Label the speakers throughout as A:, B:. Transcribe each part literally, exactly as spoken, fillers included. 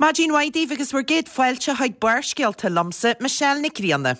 A: Maidin mhaith daoibh agus bhur gcéad fáilte chuig Barrscéalta liomsa, Michelle Nic Grianna.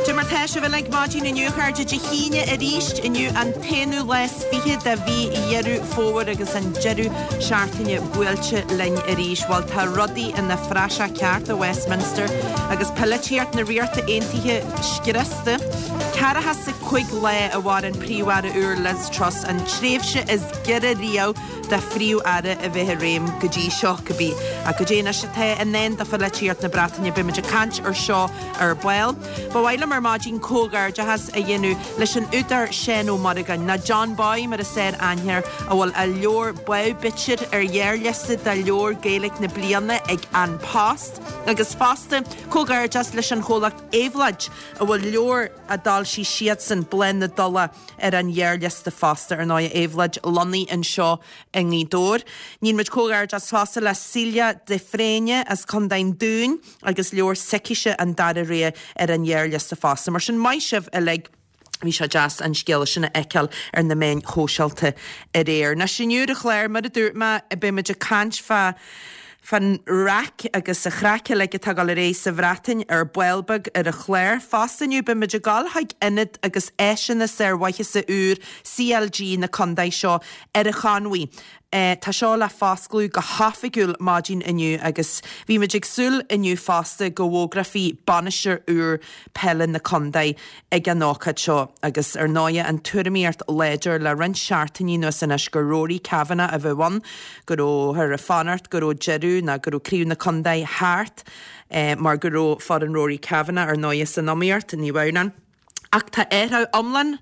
A: Cad é mar tá sibh uilig maidin inniu a chairde Dé hAoine arís inniu an t-aonú lá is fiche de mhí Dheireadh Fómhair agus an deireadh seachtaine buailte linn arís. Bhuel tá rudaí ina phraiseach ceart i Westminster agus polaitíocht na Ríochta Aontaithe scriosta. Ceathracha 's a cúig lá a mhair an Príomh-Aire úr Liz Truss an tréimhse is giorra riamh do Phríomh-Aire a bheith i réim go dtí seo cibé. Ach cad é anois atá i ndán do pholaitíocht na Breataine beidh muid ag caint ar seo ar ball. Ba mhaith liom ar maidin comhghairdeachas a dhéanamh leis an údar Seán Ó Muireagáin, nó John Boy mar is fearr aithne air, a bhfuil a leabhar Badhbh Bitir ar ghearrliosta do leabhar Gaeilge na bliana ag An Post, agus fosta comhghairdeas leis an chomhlacht Éabhlóid a bhfuil leabhar a d'fhoilsigh siadsan, Bláth na Dola, ar an ghearrliosta fosta. Ar ndóigh, Éabhlóid lonnaithe anseo i nGaoth Dobhair. Níonn muid comhghairdeas fosta le Celia de Fréine as Contae an Dúin agus leabhar s'aici An Dara Rogha ar an ghearrliosta fosta. Mar sin maith sibh uilig. Bhí sé deas an scéala sin a fheiceáil ar na meáin shóisialta aréir. Anois inniu ar an chlár, mar a dúirt mé, beidh muid ag caint fá fán raic agus an chraic uilig atá ag dul ar aghaidh sa Bhreatain ar ball beag ar an chlár. Fosta inniu beidh muid ag dul chuig ionad agus áiseanna sármhaitheasa úr CLG na contae seo ar an Chonmhaigh. Tá seo le foscladh go hoifigiúil maidin inniu agus bhí muid ag súil inniu fosta go bhfógrófaí bainisteoir úr peile na contae ag an ócáid seo agus ar ndóigh an tuairimíocht láidir le roinnt seachtainí anuas anois gur Rory Kavanagh a bheadh ann, go rabhthar ag fanacht go raibh deireadh nó go raibh craobh na contae thart mar go raibh foireann Rory Kavanagh ar ndóigh san iomaíocht, ní bheadh ann. Ach tá athrú iomlán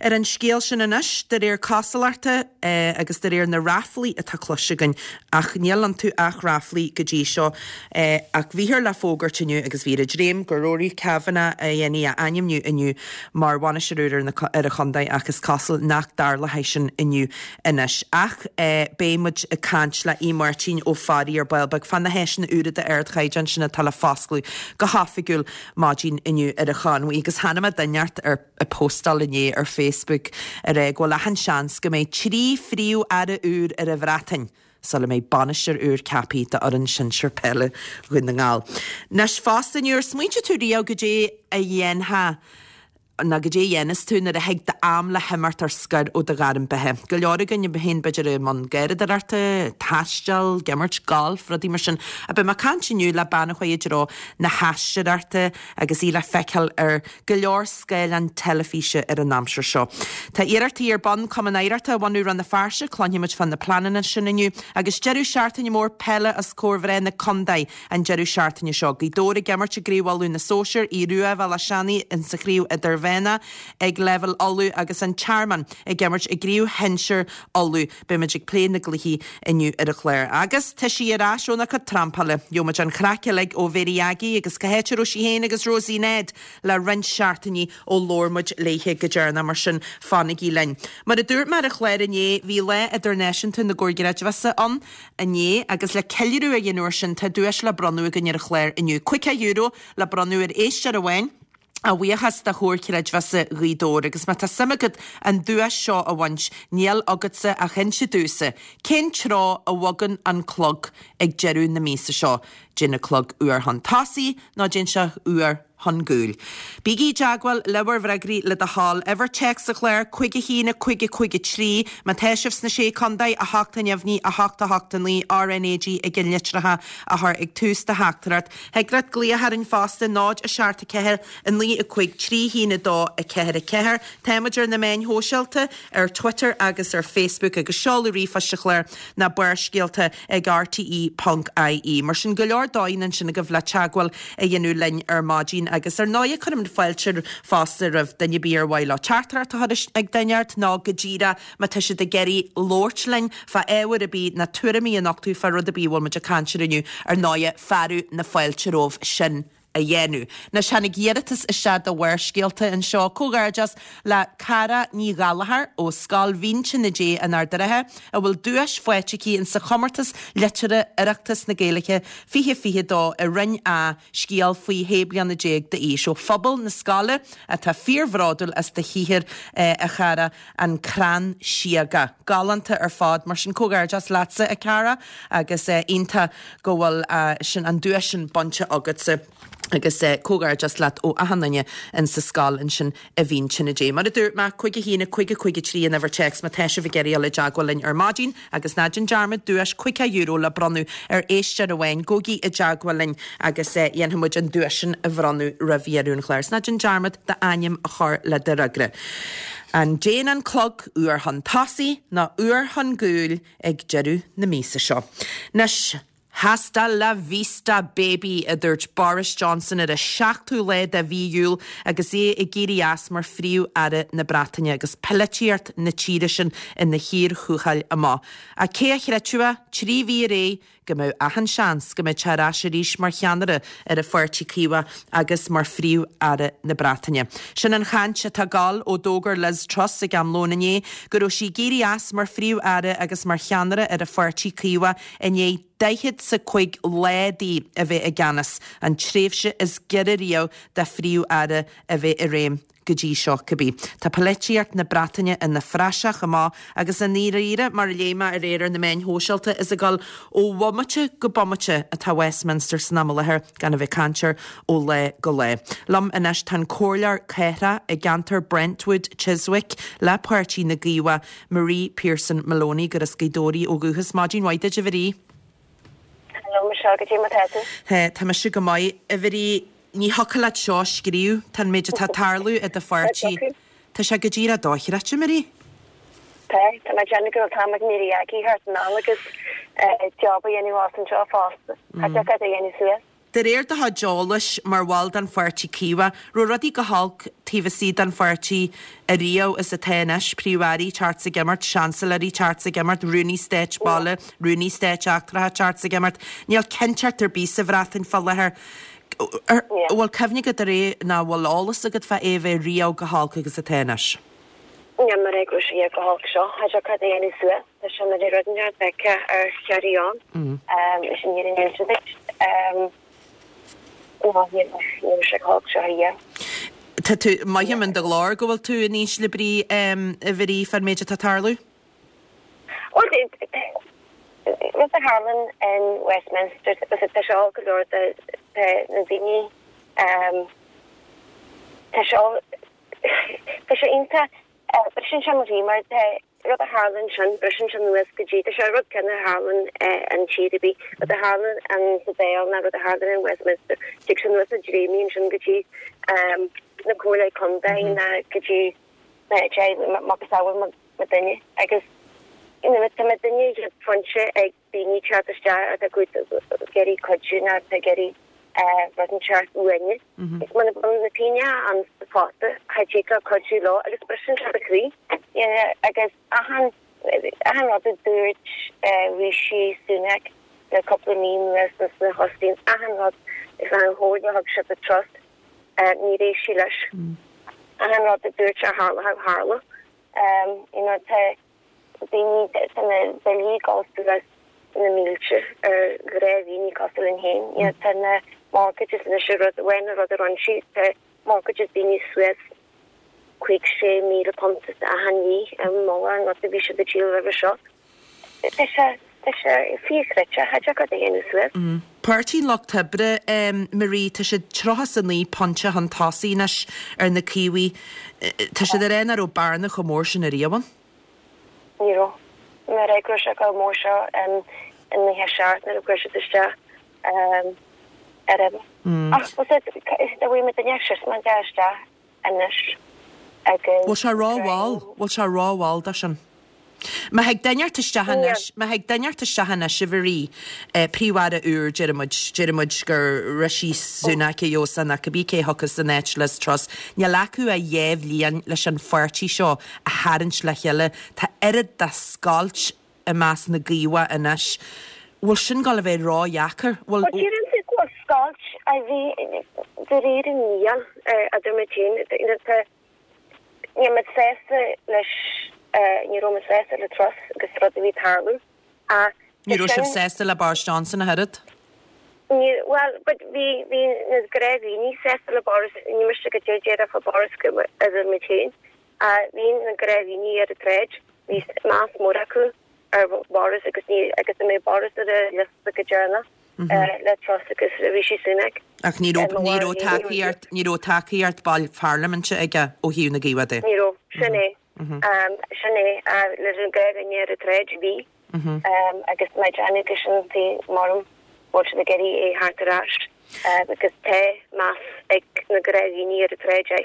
A: ar an scéal sin anois, de réir cosúlachta agus de réir na ráflaí atá cloiste againn, ach níl iontu ach ráflaí go dtí seo. Ach bhíthear le fógairt inniu, agus bhíthear ag dréim, gur Rory Kavanagh a dhéanfaí a ainmniú inniu mar bhainisteoir úr ar an chontae ach is cosúil nach dtarlóidh sin inniu anois. Ach beidh muid ag caint le Aodh Máirtín Ó Fearraigh ar ball beag fá na háiseanna úra d'ardchaighdeán sin atá le foscladh go hoifigiúil maidin inniu ar an Chonmhaigh agus chonaic mé duine inteacht ar ag postáil inné ar Facebook ag rá go bhfuil achan seans go mbeidh trí phríomh-aire úr ar an Bhreatain sula mbeidh bainisteoir úr ceaptha d'fhoireann sinsir peile Dhún na nGall. Anois fosta inniu, ar smaointigh tú riamh goidé a dhéanfá nó goidé a dhéanas tú nuair a thig d'am le himeacht ar scor ó do ghairm beatha. Go leor againn, a théann b'fhéidir i mbun garraíodóireachta, taisteal, ag imirt gailf, rudaí mar sin. Ach beidh mé ag caint inniu le bean a chuaigh i dtreo na haisteoireachta agus í le feiceáil ar go leor scáileán teilifíse ar an aimsir seo. Tá iarrachtaí ar bun Cumann Oidhreachta a bhunú i Rann na Feirste, cluinfidh muid fá na pleananna sin inniu, agus deireadh seachtaine mór peile os comhair mhná na contae an deireadh seachtaine seo. Gaoth Dobhair ag imirt i gCraobh Uladh na Sóisear, Aodh Rua Bhéal Átha Seanaidh insa Chraobh Idirmheánach ag leibhéal Uladh agus An Tearmann ag imirt i gCraobh Shinsir Uladh. Beidh muid ag plé na gcluichí inniu ar an chlár. Agus tá sí ar ais óna cuid trampála. Gheobhaidh muid an chraic uilig ó Mhary Aggie agus cá háit a raibh sí féin agus Rosie Ned le roinnt seachtainí ó labhair muid léithe go deireanach, mar sin fanaigí linn. Mar a dúirt mé ar an chlár inné, bhí Lá Idirnáisiúnta na gComhar Creidmheasa ann inné agus le ceiliúradh a dhéanamh air sin tá duais le bronnadh againn ar an chlár inniu. Caoga euro le bronnadh ar éisteoir amháin. A bhuíochas do Chomhar Creidmheasa Ghaoth Dobhair agus má tá suim agat an duais seo a bhaint, níl agatsa ach inse domhsa cén treo a bhogann an clog ag deireadh na míosa seo. Dtéann an clog uair chun tosaigh nó dtéann sé uair chun gcúil. Bígí i dteagmháil le bhur bhfreagraí le do thoil. Uimhir téacs an chláir, cúig a haon, a cúig, a cúig a trí. Má tá sibh sna Sé Contae, a hocht a neamhní, a hocht a hocht a naoi, RnaG ag an litreacha a chur ag tús do theachtaireacht. Thig leat glaoch orainn fosta, náid a seacht a ceathair, a naoi a cúig, trí haon a dó, a ceathair a ceathair. Táimid ar na meáin shóisialta, ar Twitter agus ar Facebook agus seoladh ríomhphoist an chláir ná Barrscéalta ag rte ponc ie. Mar sin, go leor dóigheanna ansin agaibh le teagmháil a dhéanamh linn ar maidin agus ar ndóighe cuirimid fáilte fosta roimh duine ar bith ar mhaith leo teachtaireacht a chur ag duine inteacht nó go díreach má tá siad ag iarraidh labhairt linn fá ábhar ar bith nó tuairimí a nochtadh fá rud ar bith a bhfuil muid ag caint air inniu, ar ndóighe fearadh na fáilte romhaibh sin a dhéanamh. Anois tháinig iarratas isteach do Bharrscéalta anseo. Comhghairdeas le Cara Ní Ghallchóir ó Scoil Mhín Tine Dé in Ard an Rátha a bhfuil duais faighte aici in sa chomórtas liteartha Oireachtas na Gaeilge fiche fiche dó i Roinn A, scéal faoi shé bliana déag d'aois ó phobal na scoile atá fíorbhródúil as do shaothar a chara, An Crann Síoga. Galánta ar fad, mar sin comhghairdeas leatsa a Cara agus iontach go bhfuil sin an duais sin bainte agatsa agus comhghairdeas leat ó achan duine in sa scoil ansin i Mhín Tine Dé. Mar a dúirt mé, cúig a haon, a cúig a cúig a trí an uimhir téacs má tá sibh ag iarraidh dul i dteagmháil linn ar maidin agus ná déan dearmad duais caoga euro le bronnadh ar éisteoir amháin. Gabhaigí i dteagmháil linn agus dhéanfaidh muid an duais sin a bhronnadh roimh dheireadh an chláir. 'S ná déan dearmad d'ainm a chur le do fhreagra. An dtéann an clog uair chun tosaigh nó uair chun cúil ag deireadh na míosa seo? Anois. Hasta la vista baby, a dúirt Boris Johnson ar an seachtú lá de mhí Iúil agus é ag éirí as mar Phríomh-Aire na Breataine agus polaitíocht na tíre sin ina chíor thuathail amach. Ach cé a chreidfeadh é, trí mhí ar aghaidh, go mbeadh achan seans go mbeadh sé ar ais arís mar cheannaire ar an Pháirtí Caomhach agus mar Phríomh-Aire na Breataine. Sin an chaint atá ag gabháil ó d'fhógair Liz Truss ag am lóin inné go raibh sí ag éirí as mar Phríomh-Aire agus mar cheannaire ar an Pháirtí Caomhach i ndiaidh daichead 's a cúig lá di a bheith i gceannas, an tréimhse is giorra riamh do Phríomh-Aire a bheith i réim go dtí seo cibé. Tá polaitíocht na Breataine ina phraiseach amach agus i ndáiríre, mar a léigh mé aréir ar na meáin shóisialta, is ag dul ó bhomaite go bomaite atá Westminster san am i láthair, gan a bheith ag caint air ó lá go lá. Liom anois tá an Comhairleoir Cathrach i gceantar Brentwood Chiswick le Páirtí na gCaomhach, Marie Pearson Maloney, gur as Gaoth Dobhair í ó dhúchas. Maidin mhaith duit, a Mharie.
B: Hello Michelle, goidé mar tá tú?
A: Tá mise go maith, a Mharie. Ní thiocfadh leat seo a scríobh, tá an méid atá ag tarlú i do pháirtí, tá sé go díreach dochreidte, Marie.
B: Tá, tá mé ag déanamh go bhfuil an t-am ag éirí aici thart anall agus job a dhéanamh as anseo fosta. Cha dtiocfadh leat a dhéanamh suas.
A: De réir do chuid eolais mar bhall den Pháirtí Caomhach, raibh rudaí go holc taobh istigh den pháirtí ariamh is atá anois, Príomh-Airí teacht 's ag imeacht, Seansailéirí teacht 's ag imeacht, Rúnaí Stáit Baile, Rúnaí Stáit Eachtracha teacht 's ag imeacht. Níl cinnteacht ar bith sa Bhreatain fá láthair. An bhfuil cuimhne agat ar é nó an bhfuil eolas agat fá é a bheith riamh chomh holc agus atá anois?
B: Níl mé ag rá sé chomh holc seo. Cha dtiocfadh leat a dhéanamh suas. Tá sé mar rud neamhfheicthe ar Chiarraí ann. Leis an fhírinne a inse duit. Ná ní raibh sé chomh holc seo riamh.
A: Tá tú, mothaím in do ghlór go bhfuil tú in ísle brí, a Mharie, fán méid atá ag tarlú.
B: Bhuel, rud a tharlann in Westminster, tá sé olc go leor do na daoine, tá sé Tá sé iontach. Briseann sé mo chroí mar tá rud a tharlann ansin, briseann sé anuas go dtí, tá sé rud céanna a tharlann in tír ar bith, rud a tharlann sa Dáil ná rud a tharlann in Westminster, tig sé anuas i dtréimí ansin go dtí na comhairlí contae ná go dtí na macasamhail mo duine agus you know tá mo duine ag pointe ag daoine teacht isteach atá ag iarraidh cuidiú nó atá ag iarraidh rud inteacht uainne. Is muna bhfuil na daoine ann fosta, cha dtig leo cuidiú leo agus briseann sé do chroí. Agus achan achan rud a dúirt Rishi Sunak le cúpla mí anuas sna hostáin, achan rud is an chomhairle a thug sé do Truss, níor éist sí leis. Achan rud a dúirt sé a tharlódh, tharla. You know, tá daoine, tá na billí ag dul suas na mílte ar ghnáthdhaoine cosúil linn féin. You know, tá na mortgages anois an rud amháin an rud a rinne sí, tá mortgages daoine suas cúig sé míle punt achan mhí i mullach an rud a bhí siad ag díol roimhe seo. Tá sé, tá sé fíorchreidte, cha dtiocfadh leat a dhéanamh suas.
A: Páirtí an Lucht Oibre, Marie, tá siad tríocha 's a naoi pointe chun tosaigh anois ar na Caomhaigh. Tá siad ag rá nach raibh bearna chomh mór sin ariamh ann.
B: Ní raibh. Mar go raibh sé chomh mór seo in naocha seacht nuair a chuir siad isteach ar uimhir. Ach bhfuil a bhfuil muid ag sios mar deir isteach anois agus.
A: Bhfuil sé rómhall? Bhfuil sé rómhall dó sin? Má thig duine ort isteach anois, má thig duine ort isteach anois, a Mharie, Príomh-Aire úr, déarfaidh muid, déarfaidh muid gur Rishi Sunak a gheobhas nó cibé cé a thiocfas in áit Liz Truss, níl acu ach dhá bhliain leis an pháirtí seo a tharraingt le chéile. Tá oiread de scoilt i measc na gCaomhach anois. Bhfuil sin ag gabháil a bheith ródheacair? Bhfuil.
B: Bhuel, deireann tú go bhfuil Scoilt a bhí de réir níl idir muid féin níl muid sásta leis ní raibh muid sásta le Truss agus rud a bhí tarlú.
A: Ní raibh sibh sásta le Boris Johnson ach oiread?
B: Ní well but bhí bhí na gnáthdhaoine sásta le Boris ní miste go dé déarfá fá Boris go idir muid féin. Bhí na gnáthdhaoine ar an tsráid bhí meas mór acu ar Boris agus ní agus a mbeidh Boris ar a liosta go deireanach le Truss agus Rishi Sunak.
A: Ach ní raibh ní raibh tacaíocht ní raibh tacaíocht baill pharlaiminte aige ó thaobh na gCaomhach de.
B: Ní raibh sin é sin é leis an gnáthdhuine ar an tsráid bhí agus mé déanamh go sin tí maram bhfuil siad ag iarraidh é theacht ar ais agus tá meas ag na gnáthdhaoine ar an tsráid é.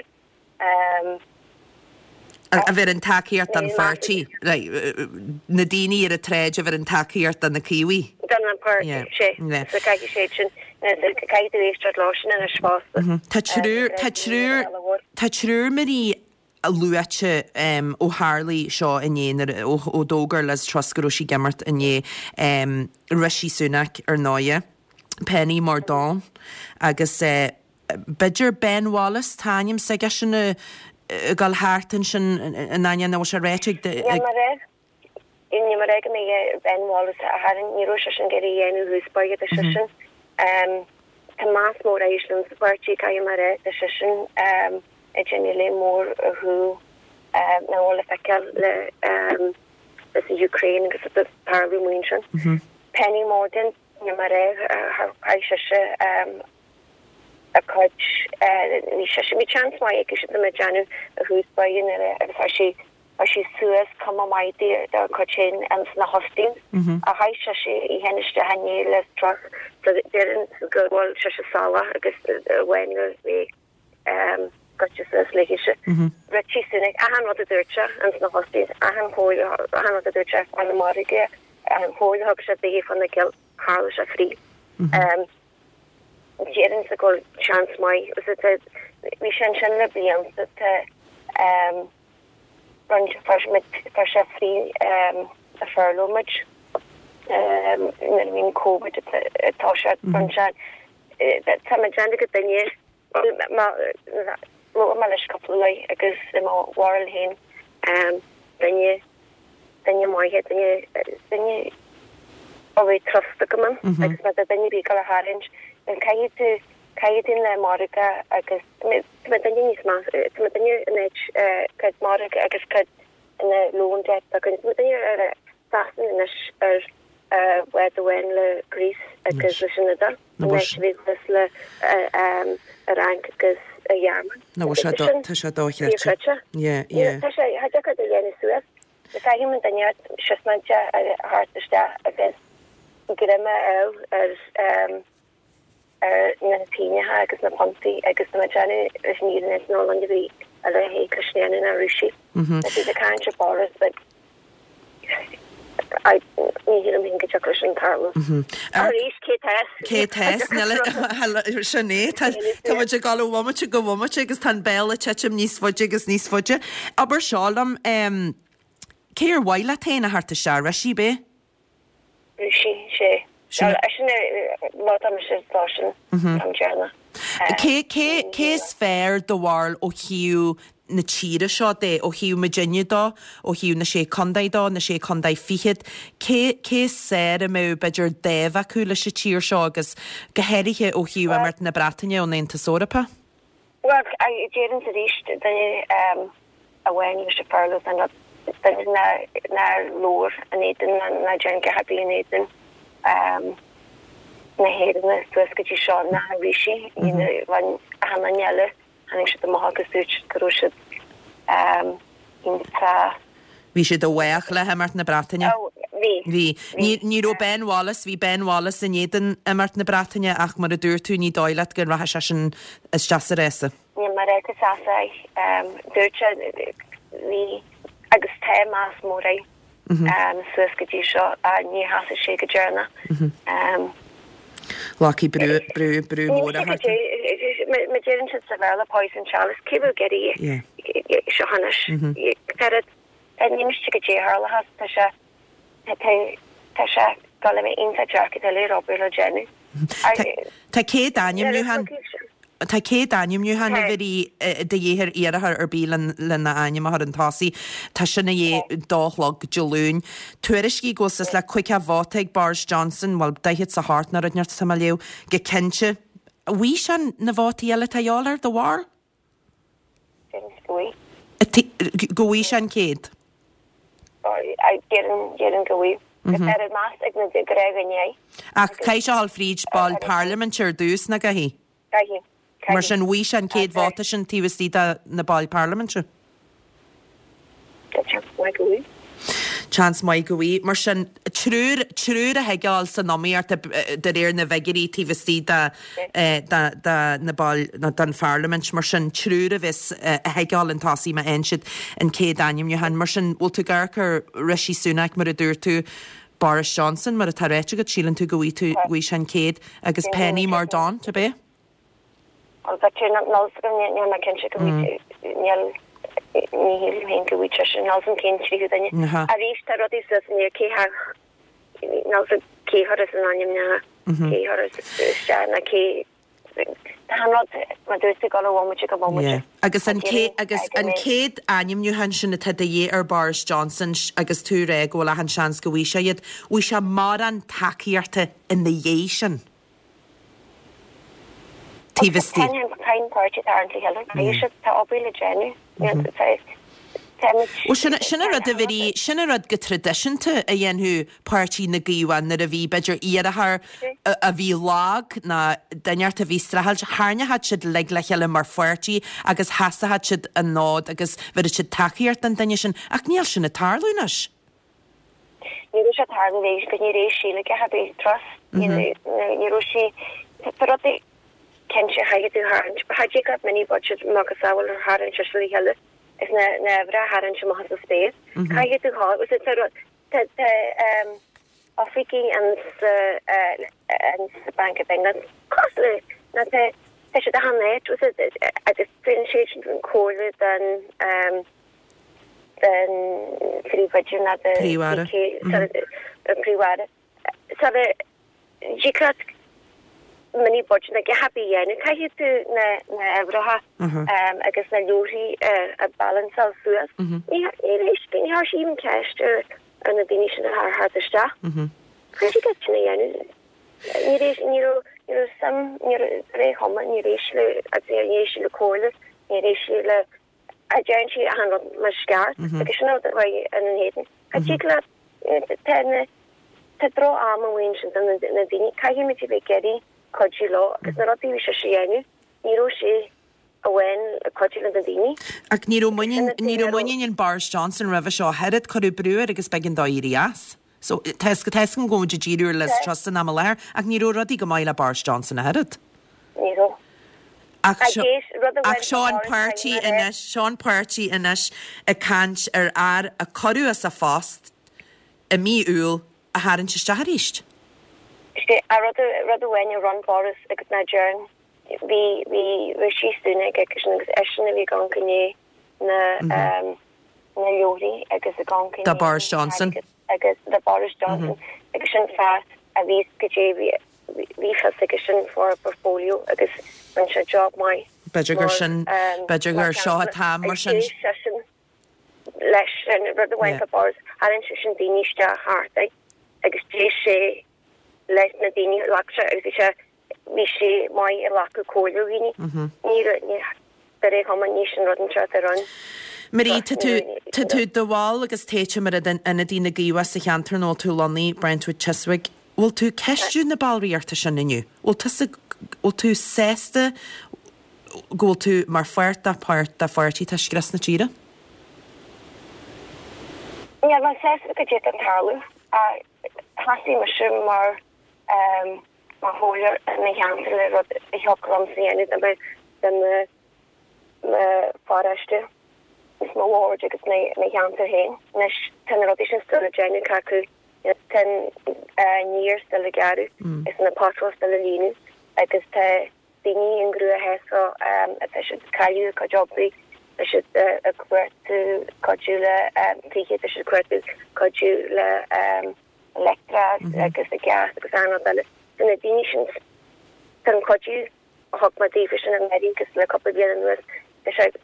A: A bheir an tacaíocht don pháirtí, na daoine ar an tsráid a bheir an tacaíocht do na Caomhaigh.
B: Don an páirtí, sé. So caithfidh siad sin, caithfidh tú éisteacht leo sin anois fosta.
A: Tá triúr, tá triúr, tá triúr Marie luaite ó tharlaigh seo inné, ó ó d'fhógair Liz Truss go raibh sí ag imeacht inné, Rishi Sunak ar ndóighe, Penny Mordaunt agus b'fhéidir Ben Wallace, tá ainm s'aigesean ag dul thart ansin in ainneoin nach bhfuil sé ráite ag.
B: Níl mé a rá, níl mé a rá go mbeidh Ben Wallace a tharraing, ní raibh seisean ag iarraidh a dhéanamh thús báire, tá seisean, tá meas mór air sa pháirtí, caithfidh mé a rá, tá seisean ag déanamh léim mór ar chúl nach bhfuil le feiceáil le leis an Ukraine agus atá ag tarlú amuigh ansin. Penny Mordaunt, níl mé a rá, chaith sise a cuid, bhí sise, bhí seans maith aici siad ag déanamh a thús báire nuair a agus chuir sí, chuir sí suas cuma maith di dá cuid féin ins na hustings a chaith sise í féin isteach inné Liz Truss so deireann go bhfuil sise salach agus amháin go bhí goite suas léithise. Rishi Sunak, achan rud a dúirt sé ins na hustings, achan chomhairle, achan rud a dúirt sé fá na margaidh, an chomhairle a thug sé daoithe fá na gill, tharla sé fríth. Déarfainnse go bhfuil seans maith, bhí sé ansin le blianta, tá roinnt, fuair sé free a furlough muid nuair a bhí an Covid ag toiseacht, rinne sé, tá mé ag déanamh go duine, labhair mé leis cúpla lá agus i mo bharúil féin duine, duine maith é, duine, duine a bhfuil trust agam ann agus má tá duine ar bith ag dul a tharraingt, then caithfidh tú, caithfidh tú le margadh agus tá mé duine níos meas, tá mé duine in áit cuid margadh agus cuid ina loan debt againn, tá mé duine ar Sasana anois ar bhád amháin le Greece agus leis an Iodáil, in áit a bhí thuas le an Fhrainc agus an Ghearmáin.
A: Nó tá sé tá sé dochreidte. Yeah, yeah.
B: Tá sé, tá deacair a dhéanamh suas. Caithfidh an duine siosmainte a thabhairt isteach agus greim a fháil ar ar na pingneacha agus na puntaí agus tá mé ag déanamh leis an fhírinne is ná an bhí a leithéid Cristéana ná Rúisigh. Tá siad ag caint ar Boris but I ní shílim féin go dtiocfaidh sin tarlú. Arís cé tá
A: Cé tá sin é tá muid ag dul ó bhomaite go bomaite agus tá an béal ag titim níos faide agus níos faide. Abair seo liom, Cé ar mhaith leat féin a theacht isteach, Rishi, ab é?
B: Rishi, sé. Sin má tá mise lá sin am deireanach.
A: Cé cé cé is fearr do bharúil ó thaobh na tíre seo de, ó thaobh muidinne de, ó thaobh na sé contae de, na sé contae fichead, cé cé is fearr a mbeadh b'fhéidir dáimh acu leis an tír seo agus go háirithe ó thaobh imeacht na Breataine ón Aontas Eorpach?
B: Bhuel, déarfainnse arís, duine amháin leis an furlough san rud, duine nár labhair in éadan ná déan a dhath ar bith in éadan na hÉireann suas go dtí seo ná Rishi, you know, bhain achan duine eile, tháinig siad amach agus dúirt siad go raibh siad iontach.
A: Bhí siad i bhfách le himeacht na Breataine.
B: Ó, bhí.
A: Bhí. Ní, ní raibh Ben Wallace, bhí Ben Wallace in éadan imeacht na Breataine ach mar a dúirt tú ní dóigh leat go rachaidh seisean isteach sa rása.
B: Níl mé ag rá go seasfaidh. Dúirt sé, bhí agus tá meas mór air suas go dtí seo ach ní sheasfaidh sé go deireanach.
A: Glacfaidh brú, brú, brú mór a thart.
B: Mar deireann siad sa Bhéarla poison chalice, cé bhfuil ag iarraidh seo anois? Ní miste go dté tharla tá sé tá sé dul a bheith iontach deacair tuilleadh obair le déanamh.
A: Tá céad ainmniúchán Tá céad ainmniúchán a bhí de dhíth ar iarrthóir ar bith lena ainm a chur chun tosaigh. Tá sin a dhíth dó a chlog Dé Luain. Tuairiscí go bhfuil suas le caoga vóta ag Boris Johnson, bhuel daichead 's a hocht nó rud inteacht atá mé a léamh, go cinnte. An bhfaighidh sé na vótaí eile atá a dhíobháil air, do bharúil?
B: Seans go bhfaighidh.
A: Go bhfaighidh sé an céad?
B: Déarfainn, déarfainn go bhfaighidh. Tá ar meas ag na gnáthdhaoine é.
A: Ach caithfidh sé a dhul fríd baill parlaiminte ar dtús, nach gcaithfidh?
B: Caithfidh.
A: Mar sin, bhfaighidh sé an céad vóta sin taobh istigh de na baill parlaiminte.
B: Tá seans maith go bhfaighidh.
A: Seans maith go bhfaighidh. Mar sin, triúr, triúr a thig a dhul san iomaíocht de réir na bhfigiúirí taobh istigh de, de, de na baill, nó den pharlaimint. Mar sin, triúr a bheas, a thig a dhul chun tosaigh má fhaigheann siad an céad ainmniúchán. Mar sin, bhfuil tú ag amharc ar Rishi Sunak mar a dúirt tú, Boris Johnson, mar atá ráite agat, síleann tú go bhfaighidh tú, bhfaighidh sé an céad, agus Penny Mordaunt, ab é?
B: Bhuel, b'fhéidir, níl a fhios agam, níl mé cinnte go bhfaighidh, níl, ní shílim féin go bhfaighidh seisean, níl a fhios agam cén tríú duine. Arís, tá rudaí suas in aer, cé há, níl a fhios agam cé chuirfeas an ainmneacha, cé chuirfeas isteach ná cé, tá an rud, mar dúirt tú, ag dul ó bhomaite go bomaite.
A: Agus an agus an céad ainmniúchán sin atá de dhíth ar Boris Johnson agus tú ag rá go bhfuil achan seans go bhfaighidh sé iad, bhfaighidh sé mórán tacaíochta ina dhiaidh sin? Taobh istigh.
B: Tá an páirtí tarraingt le chéile. Caithfidh siad, tá obair le déanamh.
A: Bhuel, sin sin an rud a bhí, sin an rud go traidisiúnta a dhéanfadh páirtí na gCaomhach nuair a bhí, b'fhéidir, iarrthóir a bhí lag ná duine inteacht a bhí streachailt, tharraingeodh siad uilig le chéile mar pháirtí agus sheasódh siad an fód agus bhéarfadh siad tacaíocht don duine sin. Ach níl sin ag tarlú anois.
B: Ní raibh sé ag tarlú arís go ní raibh sí le Liz Truss. Ní raibh sí, tá rudaí cinnte chaithfidh tú tharraingt. Cha dtig leat mini budget macasamhail a tharraingt le chéile is na na uimhreacha a tharraingt amach as an spéir. Caithfidh tú thá tá rud tá tá oifigigh an sa an sa Bank of England cosúil le na tá tá siad achan áit agus tugann siad sin comhairle don den phríomhoide ná de
A: Príomh-Aire.
B: Príomh-Aire. Sara dtig leat mini budget a dhath ar bith a dhéanamh, caithfidh tú na na huimhreacha agus na leabharthaí a balanceáil suas. Ní ní ní chuir sí even ceist ar ar na daoine sin a thar thart isteach. Cha dtig leat sin a dhéanamh. Ní raibh ní raibh ní raibh suim ní raibh ré chuma ní raibh sí le agus níor éist sí le comhairle, níor éist sí le a deireann sí achan rud mar is ceart agus sin an rud a chuaigh ina n-éadan. Cha dtig leat tá na tá droch-am amuigh ansin do na na daoine, caithfimid a bheith ag iarraidh cuidiú leo agus na rudaí a bhí sise a dhéanamh, ní raibh sé amháin ag cuidiú le na daoine.
A: Ach ní raibh muinín ní raibh muinín in Boris Johnson roimhe seo ach oiread, cuireadh brú air agus b'éigean dó éirí as. So tá a fhios agam go bhfuil muid ag díriú ar Liz Truss san am i láthair ach ní raibh rudaí go maith le Boris Johnson ach oiread.
B: Ní raibh.
A: Ach seo ach seo an páirtí anois, seo an páirtí anois ag caint ar fhear a cuireadh as a phost i mí Iúil a tharraingt isteach arís.
B: Sé rud rud amháin a rinne Boris agus ná deireann bhí bhí Rishi Sunak aigesean agus eisean a bhí ag amharc i ndiaidh na na leabharthaí agus ag amharc i
A: Do Boris Johnson.
B: agus do Boris Johnson agus sin fear a bhí go dtí bhí bhí fios aigesean faoin portfolio agus rinne sé job maith.
A: B'fhéidir gur sin, b'fhéidir gur seo an t-am mar sin.
B: D'éist seisean leis sin rud amháin fá Boris, tharraing seisean daoine isteach thart air agus d'éist sé leis na daoine a ghlac sé agus bhí sé bhí sé maith ag glacadh comhairle ó dhaoine. Ní raibh ní de réir chuma ní sin rud anseo atá ann.
A: Marie, tá tú, tá tú do bhall agus téite mar ionadaí na gCaomhach sa cheantar ina bhfuil tú lonnaithe, Brentwood Chiswick. Bhfuil tú ag ceistiú na ballraíochta sin inniu? Bhfuil tusa, bhfuil tú sásta go bhfuil tú mar pháirt de pháirt de pháirtí atá ag scrios na tíre?
B: Níl mé sásta go dtí an tarlú. Thosaigh mise mar mar chomhairleoir i mo cheantar le rud a thiocfadh liomsa a dhéanamh do mo do mo mo pharóiste is mo ward agus mo mo cheantar féin. Anois tá na rudaí sin still le déanamh acu. Tá an fhéar still le gearradh is na potholes still le líonadh agus tá daoine i gcruachás atá siad ag cailleadh a gcuid oibre, tá siad ag cuartú cuidiú le tithe, tá siad ag cuartú cuidiú le leictreachas agus gás agus achan rud eile. Tá na daoine sin Tá an cuidiú a thug mé daofa sin anuraidh agus le cúpla bliain anuas, tá sé de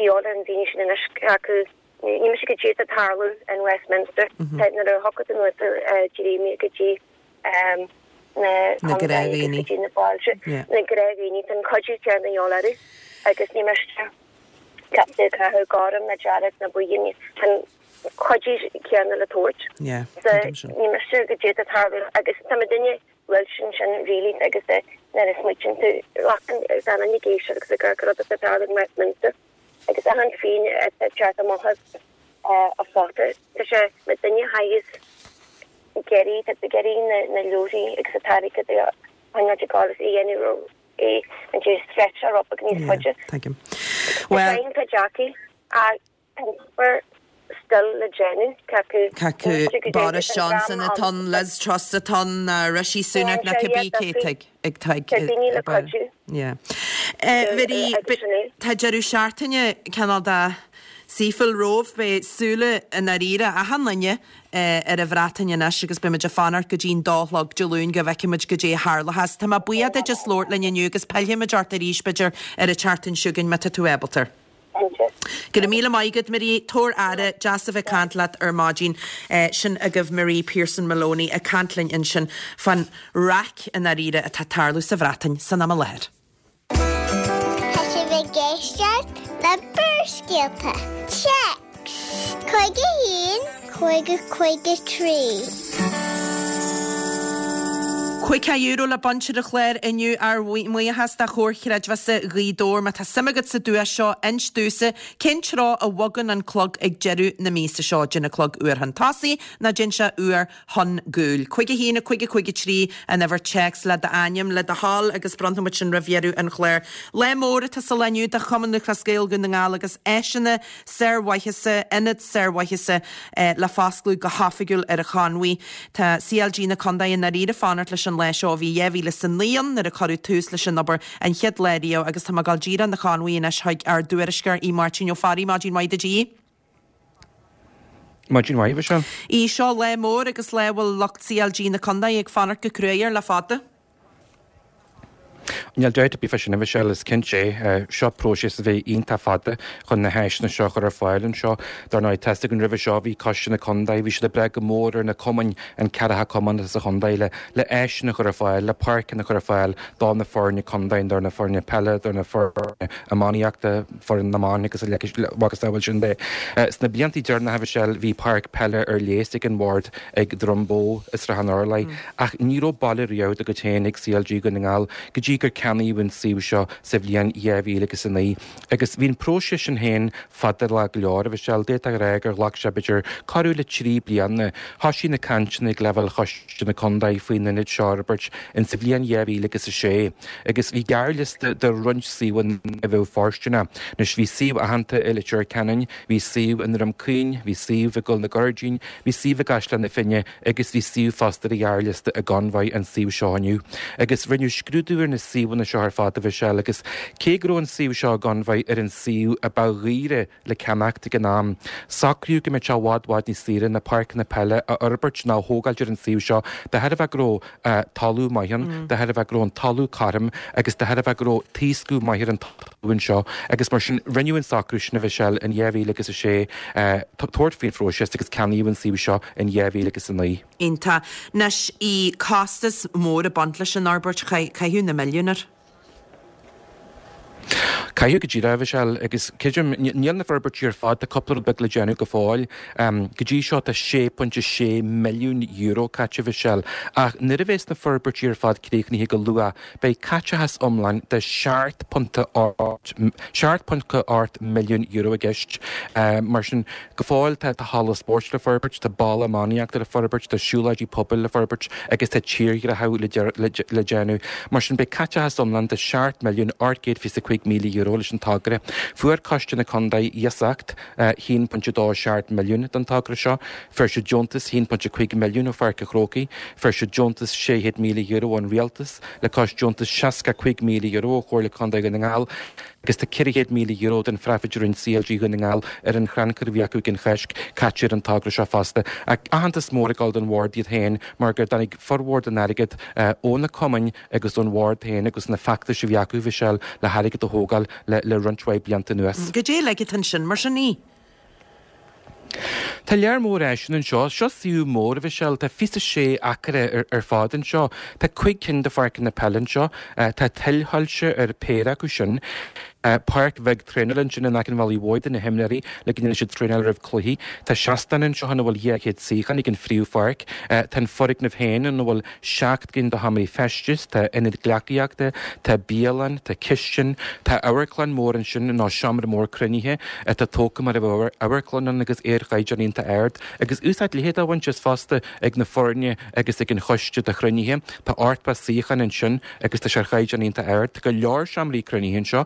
B: dhíth ar na daoine sin anois acu. Ní miste goidé atá ag tarlú in Westminster. Nuair a thiocfadh anuas Jeremy go dtí na contae agus go dtí na bailte, na gnáthdhaoine, tá an cuidiú céanna de dhíth orthu agus ní miste ceapadh ag caitheamh gorm ná dearg ná buí, tá an cuidiú céanna le tabhairt. Ní miste goidé atá ag tarlú agus tá muidinne bhfuil sin sin really agus nuair a smaoitíonn tú glacann gan an ag éisteacht agus ag amharc ar rud atá ag tarlú in Westminster agus achan phingin atá ag teacht amach as a phota tá sé muidinne thaghas ag iarraidh tá ag iarraidh na na leoraí agus an t-airgead a choinneáil ag gabháil is a dhéanamh é an dé stretch a rud níos faide.
A: Tuigim.
B: Well tá deacair ach tá an obair still le déanamh cé
A: acu Boris Johnson atá ann, Liz Truss atá ann, ná Rishi Sunak ná cibé cé atá ag
B: daoine le cuidiú.
A: Yeah. Mharie, tá deireadh seachtaine cineál de saoithiúil romhaibh, beidh súile i ndáiríre achan duine ar an Bhreatain anois agus beidh muid ag fanacht go dtí'n dó a chlog Dé Luain go bhfeicfidh muid goidé a tharlóchas. Tá mé buíoch duit as labhairt linn inniu agus pillfidh muid ort arís b'fhéidir ar an tseachtain seo chugainn má tá tú ábalta. Go raibh míle maith agat, Marie. Tabhair aire, deas a bheith ag caint leat ar maidin. Sin agaibh Marie Pearson Maloney ag caint linn ansin fán raic i ndáiríre atá ag tarlú sa Bhreatain san am i láthair.
C: Tá sibh ag éisteacht le Barrscéalta. Téacs cúig a haon, cúig a cúig a trí.
A: Caoga euro le baint ar an chlár inniu ár mbuíochas do Chomhar Chreidmheasa Ghaoth Dobhair. Má tá suim agat sa duais seo, inis domhsa cén treo a bhogann an clog ag deireadh na míosa seo. Dtéann an clog uair chun tosaigh nó dtéann sé uair chun gcúil. Cúig a haon a cúig a cúig a trí an uimhir téacs le d'ainm le do thoil agus bronnfaidh muid sin roimh dheireadh an chláir. Lá mór atá sa lá inniu do Chumann Lúthchleas Gael Dhún na nGall agus áiseanna sármhaitheasa, ionad sármhaitheasa le foscladh go hoifigiúil ar an Chonmhaigh. Tá C L G na Contae i ndáiríre ag fanacht leis an lá seo ó bhí dhá mhíle is a naoi ann nuair a cuireadh tús leis an obair an chéad lá riamh agus tá mé ag dul díreach 'na Chonmhaigh anois chuig ár dtuairisceoir Aodh Máirtín Ó Fearraigh. Maidin mhaith duit, a Aoidh.
D: Maidin mhaith, a Mhichelle.
A: Aodh, seo lá mór agus lá a bhfuil lucht C L G na Contae ag fanacht go cruaidh air le fada.
D: Níl dabht ar bith fá sin, a Mhichelle, is cinnte é. Seo próiseas a bhí iontach fada chun na háiseanna seo a chur ar fáil anseo. Dar ndóigh, tá a fhios againn roimhe seo, bhí Coiste na Contae, bhí siad ag brath go mór ar na cumainn, an ceathracha cumann atá sa chontae, le le áiseanna a chur ar fáil, le páirceanna a chur ar fáil do na foirne contae, do na foirne peile, do na foirne iománaíochta, foireann na mban agus a mhacasamhail sin de. Sna blianta deireanacha, a Mhichelle, bhí páirc peile ar léas ag an bhord ag Droim Bó i Srath an Urláir, ach ní raibh baile riamh dá gcuid féin ag C L G Dhún na nGall go dtí gur ceannaíodh an suíomh seo sa bhliain dhá mhíle agus a naoi. Agus bhí an próiseas sin féin fada go leor, a Mhichelle, d'fhéadfá a rá gur ghlac sé b'fhéidir corradh le trí bliana. Thoisigh na cainteanna ag leibhéal Choiste na Contae faoin ionad seo a fhorbairt in sa bhliain dhá mhíle agus a sé agus bhí gearrliosta de roinnt suíomhanna a bheadh fóirsteanach. Anois bhí suíomh aitheanta i Leitir Ceanainn, bhí suíomh i nDroim Caoin, bhí suíomh i gCoill na Gairdín, bhí suíomh i gCaisleán na Finne agus bhí suíomh fosta ar an ghearrliosta i gConmhaigh, an suíomh seo inniu. Agus rinneadh scrúdú ar na suíomhanna seo ar fad, a Mhichelle, agus cé go raibh an suíomh seo i gConmhaigh ar an suíomh a ba dhaoire le ceannacht ag an am, socraíodh go mbeadh sé i bhfad bhfad níos saoire na páirceanna peile a fhorbairt ná a thógáilt ar an suíomh seo de thairbhe go raibh talamh maith ann, de thairbhe go raibh an talamh cothrom agus de thairbhe go raibh taoscadh maith ar an talamh anseo agus mar sin rinneadh an socrú sin, a Mhichelle, in dhá mhíle agus a sé tabhairt faoin phróiseas agus ceannaíodh an suíomh seo in dhá mhíle agus a naoi.
A: Iontach. Anois, bhí costas mór ag baint leis an fhorbairt, caitheadh na milliúin air.
D: Caitheadh go díreach, a Mhichelle, agus creidim, níl na forbairtí ar fad, tá cúpla rud beag le déanamh go fóill. Go dtí seo tá sé pointe sé milliún euro caite, a Mhichelle, ach nuair a bheas na forbairtí ar fad críochnaithe go luath, beidh caiteachas iomlán de seacht ponc ocht, seacht ponc ocht milliún euro i gceist. Mar sin, go fóill tá halla spóirt le forbairt, tá balla iománaíochta le forbairt, tá siúlóidí pobail le forbairt agus tá tírdhreachú le déanamh. Mar sin, beidh caiteachas iomlán de seacht milliún ocht gcéad fiche cúig míle euro leis an togra. Fuair Coiste na Contae iasacht haon pointe dó seacht milliún don togra seo. Fuair siad deontas haon pointe cúig milliún ó Pháirc an Chrócaigh. Fuair siad deontas sé chéad míle euro ón Rialtas, le cois deontas seasca cúig míle euro ó Chomhairle Contae Dhún na nGall. Agus tá ceithre chéad míle euro den phraifid a rinne C L G Dhún na nGall ar an chrannchur a bhí acu ag an Cháisc caite ar an togra seo fosta. Ach aitheantas mór ag dul don bhord iad féin mar gur tháinig formhór den airgead ó na cumainn agus ón bhord féin agus na feachtais a bhí acu, Michelle, le hairgead a thógáil le le roinnt mhaith blianta anuas.
A: Goidé uilig atá ansin mar sin í?
D: Tá lear mór áiseanna anseo. Seo suíomh mór, a Mhichelle. Tá fiche a sé acra ar fad anseo. Tá cúig cinn de pháirceanna peile anseo. Tá tuilshoilse ar péire acu sin. Páirc bheag traenála ansin in aice an bhealaigh mhóir do na himreoirí le go ndéanfaidh siad traenáil roimh cluichí. Tá seastán anseo ina bhfuil dhá chéad suíochán ag an phríomhpháirc. Tá an foirgneamh féin ina bhfuil seacht gcinn de sheomraí feistis, tá ionad gleacaíochta, tá bialann, tá cistin, tá amharclann mór ansin nó seomra mór cruinnithe atá tógtha mar a bheadh amharclann ann agus é ar chaighdeán iontach ard, agus úsáid leithead á bhaint as fosta ag na foirne agus ag an choiste do chruinnithe. Tá ochtó suíochán ansin agus tá sé ar chaighdeán iontach ard. Tá go leor seomraí cruinnithe anseo.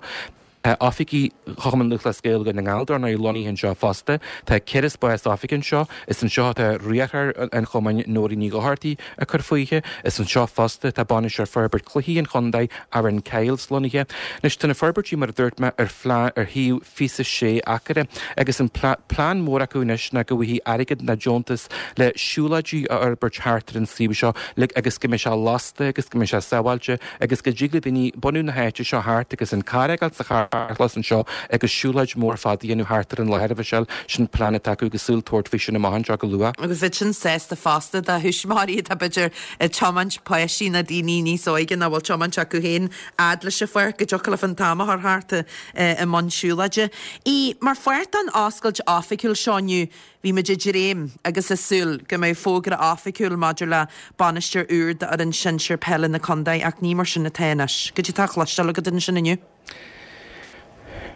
D: Tá oifigí Chumann Lúthchleas Gael Dhún na nGall dar ndóigh lonnaithe anseo fosta. Tá ceithre spás oifige anseo. Is anseo atá riarthóir an chumainn Nóirín Ní Dhochartaigh ag cur fúithi. Is anseo fosta atá bainisteoir forbairt cluichí an chontae, Aaron Kyles, lonnaithe. Anois tá na forbairtí mar a dúirt mé ar phlean ar shuíomh fiche a sé acra agus an plean mór acu anois ná go bhfaighidh airgead nó deontas le siúlóidí a fhorbairt thart ar an suíomh seo le agus go mbeidh sé lasta agus go mbeidh sé sábháilte agus go dtig le daoine bunú na háite seo thart agus an carr a fhágáil sa charr carrchlós anseo agus siúlóid mór fada a dhéanamh thart ar an láthair, a Mhichelle. Sin plean atá acu agus súil tabhairt faoi sin amach anseo go luath.
A: Agus bheadh sin sásta fosta do thuismitheoirí atá b'fhéidir ag tiomáint páistí na daoine níos óige nach bhfuil tiomáint acu féin fhad leis an pháirc go dtiocfadh leofa an t-am a chur thart i mbun siúlóide. Í mar pháirt den oscailt oifigiúil seo inniu, bhí muid ag dréim agus ag súil go mbeadh fógra oifigiúil maidir le bainisteoir úr d'fhoireann sinsir peile na contae ach ní mar sin atá anois. Goidé atá á chloisteáil agat ansin inniu.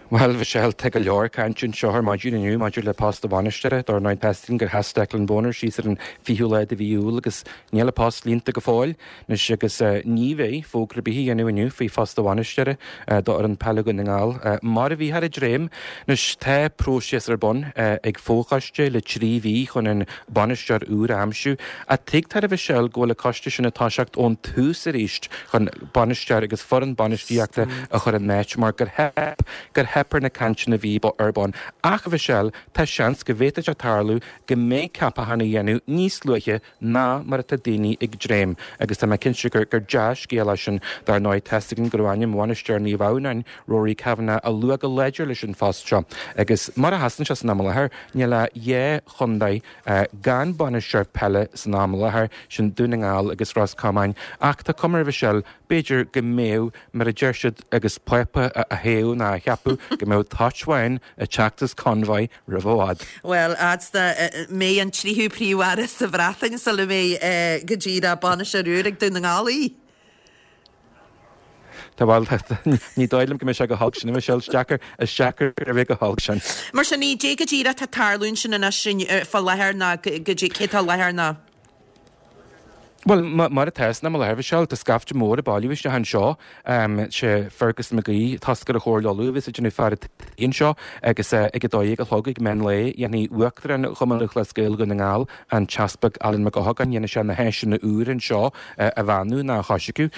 D: Bhuel, Michelle, tá go leor cainte anseo ar maidin inniu maidir le post an bhainisteora. Dar ndóigh tá a fhios againn gur sheas Declan Bonner síos ar an fichiú lá de mhí Iúil agus níl an post líonta go fóill anois agus ní bheidh fógra ar bith á dhéanamh inniu faoi phost an bhainisteora d'fhoireann peile Dhún na nGall. Mar a bhíothar ag dréim, anois tá próiseas ar bun ag fochoiste le trí mhí chun an bainisteoir úr a aimsiú. Ach tuigtear, a Mhichelle, go bhfuil an coiste sin ag toiseacht ón tús arís chun bainisteoir agus foireann bainistíochta a chur in áit mar gur theip gur theip ar na cainteanna a bhí ar bun. Ach, a Mhichelle, tá seans go bhféadfadh sé tarlú go mbeidh ceapachán á dhéanamh níos luaithe ná mar atá daoine ag dréim agus tá mé cinnte gur gur dea-scéal é sin. Dar ndóigh, tá a fhios againn go raibh ainm bhainisteoir Naomh Adhamhnáin, Rory Kavanagh, á lua go láidir leis an phost seo agus mar a sheasann sé san am i láthair, níl ach dhá chontae gan bainisteoir peile san am i láthair, sin Dún na nGall agus Ros Comáin. Ach tá cuma air, a Mhichelle, b'fhéidir go mbeadh, mar a deir siad agus Pápa á thoghadh nó á cheapadh, go mbeadh toit bhán ag teacht as Convoy roimh i bhfad.
A: Bhuel, fhad 's dá mbeidh an tríú príomh-aire sa Bhreatain sula mbeidh go díreach bainisteoir úr ag Dún na nGall í.
D: Tá bhuel, ní dóigh liom go mbeidh sé chomh holc sin, a Michelle, is deacair, is deacair a bheith chomh holc sin.
A: Mar sin, ní dé go díreach tá tarlú ansin anois fá láthair ná go dtí cé tá láthair ná.
D: Bhuel, mar atá san am i láthair, a Mhichelle, tá scaifte mór ag bailiú isteach anseo. Sé Fergus McGee, toscaire Chomhairle Uladh, a bheas ag déanamh fear an tí anseo agus ag a dó dhéag a chlog ag meán lae, dhéanfaidh Uachtarán Chumann Lúthchleas Gael Dhún na nGall, an tEaspag Alan Mac Eochagáin, dhéanfaidh sé na háiseanna úra anseo a bheannú nó a choisriceadh.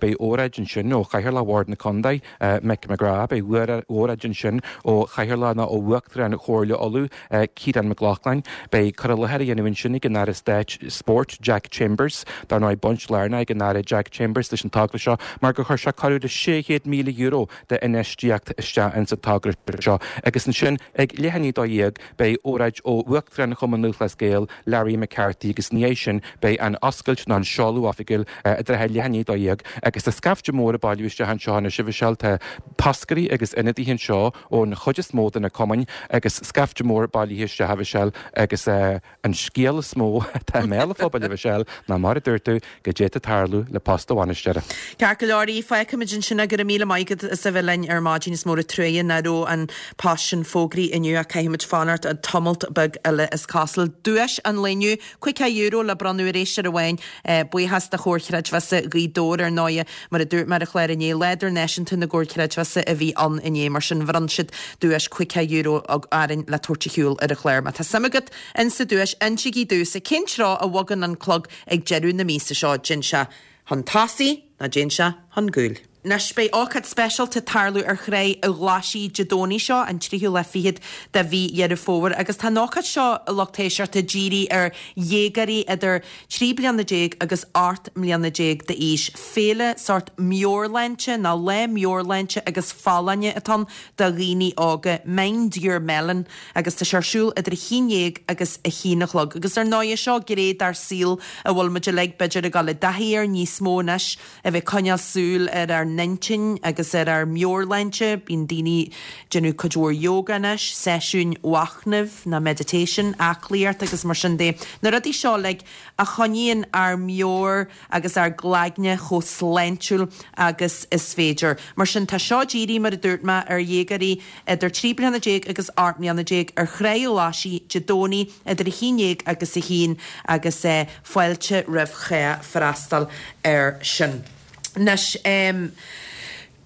D: Beidh óráid ansin ó Chathaoirleach Bhord na Contae, Mick McGrath, beidh óráid ansin ó Chathaoirleach nó ó Uachtarán Chomhairle Uladh, Ciarán Mac Lochlainn. Beidh cur i láthair á dhéanamh ansin ag an Aire Stáit Spóirt, Jack Chambers. Dar ndóigh, baint lárnach ag an Aire Jack Chambers leis an togra seo mar gur chuir sé corradh le sé chéad míle euro d'infheistíocht isteach ins an togra seo. Agus ansin ag leath i ndiaidh a dó dhéag beidh óráid ó Uachtarán Chumann Lúthchleas Gael, Larry McCarthy agus ina dhiaidh sin beidh an oscailt nó an seoladh oifigiúil i dtrátha leath i ndiaidh a dó dhéag. Agus tá scaifte mór ag bailiú isteach anseo anois, a Mhichelle. Tá toscairí agus ionadaithe anseo ón chuid is mó de na cumainn agus scaifte mór bailithe isteach, a Mhichelle, agus an scéal is mó atá i mbéal an phobail, a Mhichelle, ná mar a dúirt tú, go d'fhéadfadh tarlú le post an bhainisteora.
A: Ceart go leor, fágfaimid ansin é. Go raibh míle maith agat as a bheith linn ar maidin. Is mór an truaighe nach raibh an post sin fógraithe inniu ach caithfimid fanacht tamalt beag eile is cosúil. Duais an lae inniu, caoga euro le bronnadh ar éisteoir amháin. Buíochas do Chomhar Chreidmheasa Ghaoth Dobhair ar ndóighe. Mar a dúirt mé ar an chlár inné, Lá Idirnáisiúnta na gComhar Creidmheasa a bhí ann inné, mar sin bhronn siad duais caoga euro orainn le tabhairt ar shiúl ar an chlár. Má tá suim agat insa duais, insígí domhsa cén treo a bhogann an clog ag deireadh na míosa seo, dtéann sé chun tosaigh nó dtéann sé chun cúil. Anois beidh ócáid speisialta ag tarlú ar Thráigh a' Ghlaisigh Dé Domhnaigh seo, an tríú lá fichead de mhí Dheireadh Fómhair, agus tá an ócáid seo, a lucht éisteachta, dírithe ar dhéagóirí idir trí bliana déag agus ocht mbliana déag d'aois. Féile sórt meabhairshláinte nó lá meabhairshláinte agus folláine atá ann do dhaoine óga, Mind Your Melon, agus tá sé ar siúl idir a haon dhéag agus a haon a chlog. Agus ar ndóigh seo gné dár saol a bhfuil muid uilig b'fhéidir ag dul i dtaithí air níos mó anois, a bheith ag coinneáil súil ar ár n-intinn agus ar ár meabhairshláinte. Bíonn daoine ag déanamh cuid mhór yoga anois, seisiúin mhachnaimh nó meditation, aclaíocht agus mar sin de. Na rudaí seo uilig a choinníonn ár meabhair agus ár gcloigne chomh sláintiúil agus is féidir. Mar sin tá seo dírithe, mar a dúirt mé, ar dhéagóirí idir trí bliana déag agus ocht mbliana déag ar Thráigh a' Ghlaisigh Dé Domhnaigh idir a haon dhéag agus a haon agus fáilte roimh chách freastal air sin. Anois,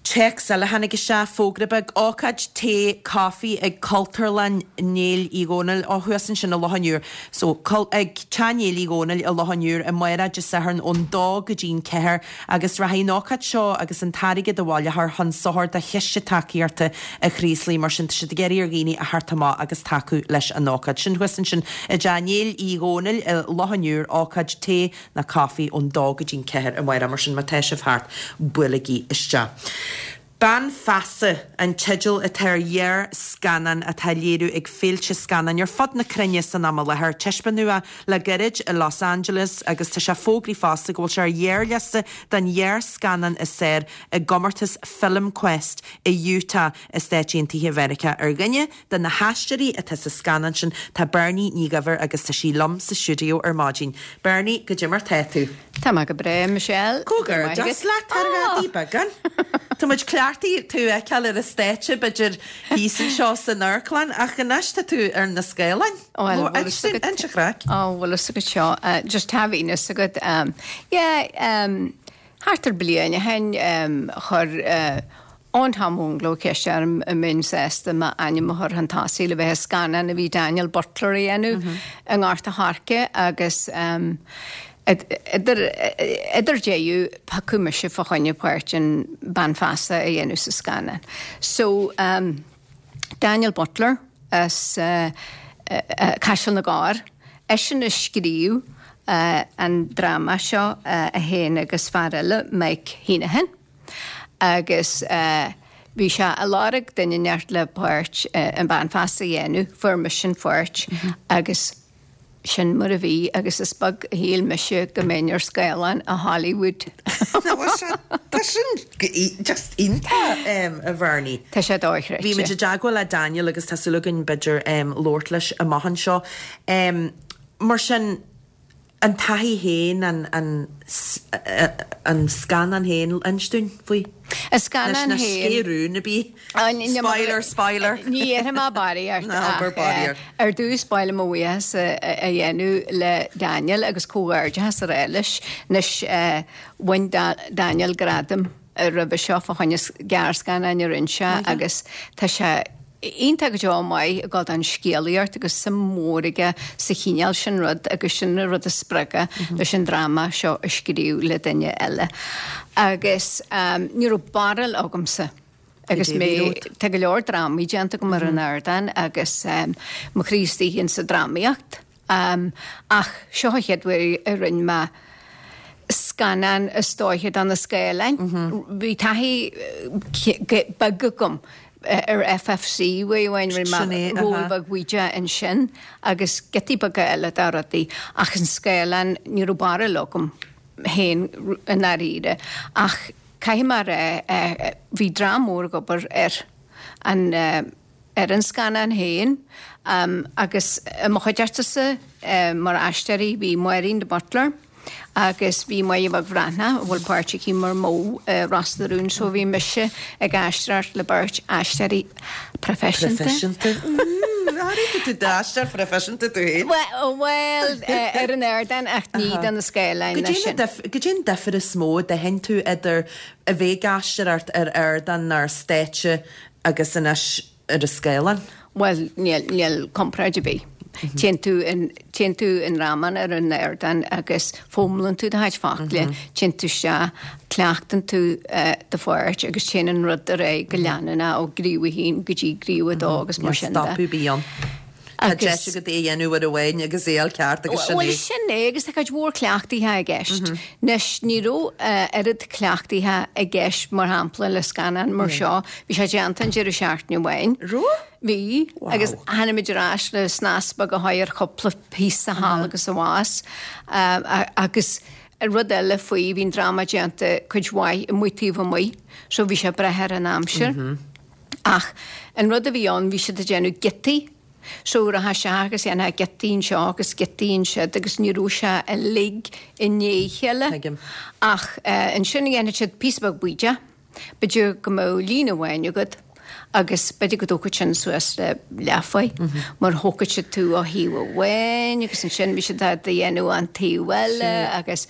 A: téacs eile a tháinig isteach, fógra beag, ócáid tae coffee ag Cultúrlann Néill Uí Dhónaill, ó thuas ansin i Loch an Iúir. So, ag Teach Néill Uí Dhónaill i Loch an Iúir amárach Dé Sathairn ón dó go dtí'n ceathair agus rachaidh an ócáid seo agus an t-airgead a bhaileofar chun sochair do Chiste Tacaíochta an Chraoslaigh. Mar sin, tá siad ag iarraidh ar dhaoine a theacht amach agus tacú leis an ócáid sin thuas ansin i dTeach Néill Uí Dhónaill i Loch an Iúir, ócáid tae nó caife ón dó go dtí'n ceathair amárach, mar sin má tá sibh thart, buailigí isteach. Bean Feasa an teideal atá ar ghearrscannán atá á léiriú ag féilte scannáin ar fud na cruinne san am i láthair. Taispeánadh é le gairid i Los Angeles agus tá sé fógraithe fosta go bhfuil sé ar ghearrliosta don ghearrscannán is fearr i gcomórtas FilmQuest i Utah i Stáit Aontaithe Mheiriceá. Ar dhuine de na haisteoirí atá sa scannán sin tá Bernie Ní Dhuibhir agus tá sí liom sa stiúideo ar maidin. Bernie, goidé mar tá tú?
E: Tá mé go breá, Michelle.
A: Comhghairdeas leat ar ghadaí beagán. Tá muid cleachtaithe tú a fheiceáil ar an stáitse, b'fhéidir thíos anseo san amharclann, ach anois tá tú ar na scáileáin.
E: Bhuel,
A: bhfuil fhios agat. Inis an chraic.
E: Ó, bhfuil fhios agat seo. Just tá fhios agat. Yeah, thart ar bliain ó shin, chuir Eoghan Tom Mhúngló ceist orm an mbeinn sásta m'ainm a chur chun tosaigh le bheith i scannán a bhí Daniel Butler a dhéanamh i nGort a' Choirce agus idir idir deireadh piocadh mise fá choinne páirt an bean feasa a dhéanamh sa scannán. So Daniel Butler as Caiseal na gCorr, eisean a scríobh an dráma seo, é féin agus fear eile, Mike Heneghan. Agus bhí sé ag lorg duine inteacht le páirt an bean feasa a dhéanamh, fuair mise an pháirt agus sin mar a bhí agus is beag a shíl mise go mbeinn ar scáileán i Hollywood.
A: Tá sin just iontach, a Bhernie.
E: Tá sé dochreidte.
A: Bhí muid i dteagmháil le Daniel agus tá súil againn b'fhéidir labhairt leis amach anseo. Mar sin, An taithí féin, an an scannán féin, inis dúinn faoi.
E: An scannán
A: féin. Ná sceith rún ar bith. Spoiler, spoiler.
E: Ní dhéarfaidh mé barraíocht
A: Ná abair barraíocht.
E: Ar dtús ba mhaith liom mo bhuíochas a dhéanamh le Daniel agus comhghairdeachas a rá leis. Anois bhain Daniel gradam roimhe seo fá choinne gearrscannáin a rinne sé agus tá sé iontach go deo maith ag dul don scéalaíocht agus suim mhór aige sa chineál sin rud agus sin an rud a spreag é leis an dráma seo a scríobh le duine eile. Agus ní raibh barúil agamsa agus mé, tá go leor drámaí déanta agam ar an ardán agus mo chroí istigh insa drámaíocht. Ach seo an chéad uair a rinne mé scannán is dóiche do na scáileáin. Bhí taithí beag agam ar FFC uair amháin, rinne mé ról beag bídeach ansin agus giotaí beaga eile de rudaí ach an scáileán ní raibh barúil agam féin i ndáiríre. Ach caithfidh mé a rá bhí dream mór ag obair ar an ar an scannán féin agus i mo chuideachtasa mar aisteoirí bhí Máirín de Buitléar agus bhí Máire Bheag Bhreathnach, a bhfuil páirt aici mar Mo i Ros na Rún, so bhí mise ag aisteoireacht le beirt aisteoirí proifisiúnta.
A: Proifisiúnta. Airigh tú d'aisteoir phroifisiúnta tú féin.
E: Bhuel, ar an ardán ach ní do na scáileáin leis sin.
A: Goidé an difear is mó a d'aithin tú idir a bheith ag aisteoireacht ar ardán ar stáitse agus anois ar an scáileán?
E: Bhuel, níl, níl comparáid ar bith. Téann tú in téann tú i ndráma ar an ardán agus foghlaimíonn tú do chuid focla, téann tú isteach, cleachtann tú do pháirt agus téann an rud ar aghaidh go leanúnach ó ghníomh a haon go dtí gníomh a dó agus mar sin de.
A: Stopadh ar bith ann. Tá deis agat é a dhéanamh uair amháin agus é al ceart agus sin
E: Bhuel
A: é.
E: sin é agus tá cuid mhór cleachtaithe i gceist. Anois ní raibh oiread cleachtaithe i gceist mar shampla le scannán mar seo, bhí sé déanta an deireadh seachtaine amháin.
A: Raibh?
E: Bhí
A: Wow.
E: agus tháinig muid ar ais le snas beag a chur ar chúpla píosa thall agus abhus agus rud eile faoi bhí an dráma déanta cuid mhaith amuigh taobh amuigh, so bhí sé breithe ar an aimsir. Ach an rud a bhí ann bhí siad ag déanamh giotaí, so rachfá isteach agus dhéanfá giotaí anseo agus giotaí ansiúd agus ní raibh sé uilig i ndiaidh a chéile.
A: Tuigim.
E: Ach ansin dhéanfadh siad píosa beag bídeach, b'fhéidir go mbeadh líne amháin agat agus b'fhéidir go dtógfadh sin suas le leathuair mar thógfadh siad tú ó thaobh amháin agus ansin bhí siad á dhéanamh an taobh eile agus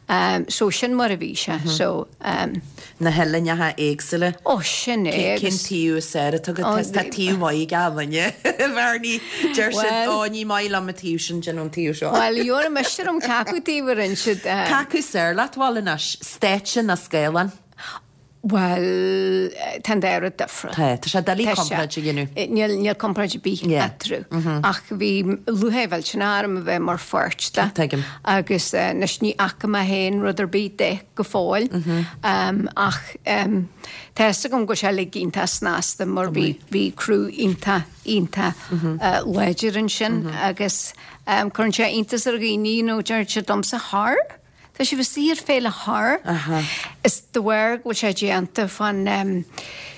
E: um, so sin mar a bhí sé. So um,
A: Na huillinneacha éagsúla.
E: ó sin é
A: Cén
E: agus
A: taobh is fearr atá
E: Ó,
A: agat? Tá taobh maith ag duine. Bhernie deir siad
E: Well-
A: ó ní maith liom an taobh sin déan an taobh seo.
E: Well, dheora meistir am cé acu taobh a rinne siad. um,
A: Cé acu is fearr leat bhal anois, stáitse nó scáileán?
E: Well, tá an dá rud difriúil.
A: Tá, tá sé doiligh
E: Tá sé.
A: comparáid a dhéanamh.
E: Eh, Níl níl comparáid ar bith
A: Yeah.
E: eatarthu. Ach bhí lúcháir mhillteanach orm a bheith mar pháirt de.
A: Tuigim.
E: Agus eh, anois ní fhaca mé féin rud ar bith de go fóill. Um, ach um, tá fhios agam go bhfuil sé uilig iontach snasta mar bhí bhí crew iontach iontach uh, láidir ansin agus um, cuireann sé iontas ar dhaoine nó deir siad domsa thar. Tá sé bhí ar féile thar. Is de bharr go bhfuil sé déanta fan um,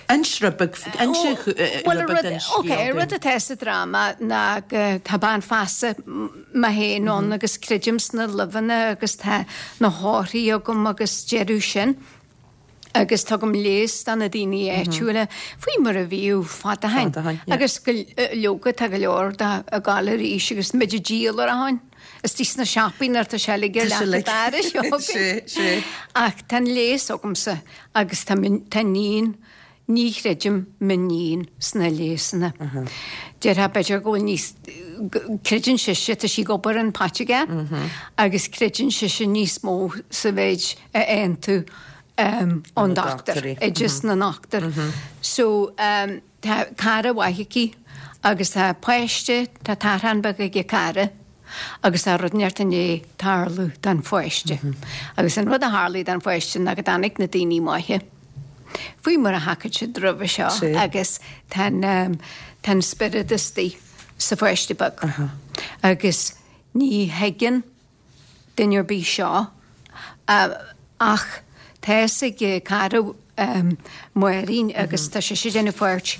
A: Inis rud beag inis
E: Well,
A: rud beag den
E: Ok,
A: scéal
E: rud atá sa dráma ná go tá bean feasa mé féin ann agus creidim sna luibheanna agus tá na hórthaí agam agus deireadh sin. Agus tugaim leigheas do na daoine áitiúla faoi mar a bhíodh fada ó shin.
A: Fada ó shin, yeah.
E: Agus go leoga tá go leor de ag gabháil arís agus muid ag díol ar a shon. Is tí sna siopaí nuair tá sé uilig ar
A: Tá sé
E: leath
A: uilig.
E: d'aire
A: Sé, sé.
E: Ach tá an leigheas agamsa agus tá min- tá níon ní chreidim m'iníon sna leigheasanna. Déarfá b'fhéidir go bhfuil níos creideann sise tá sí ag obair an poitigéir agus creideann sise níos mó sa mhéid a fhaigheann tú um, ón
A: Na
E: dochtúir,
A: dochtúirí.
E: oideas na ndochtúir. So um, tá cara mhaith aici agus tá páiste tá tachán beag ag cara agus tá rud inteacht i ndiaidh tarlú don pháiste. Agus an rud a tharlaigh don pháiste ná go dtáinig na daoine maithe. Faoi mar a thagadh siad roimhe seo
A: Sí.
E: agus tá um, tá an spiorad istigh sa pháiste beag. Agus ní thuigeann duine ar bith seo uh, ach tá ag cara um, Máirín agus tá sé sé déanamh páirt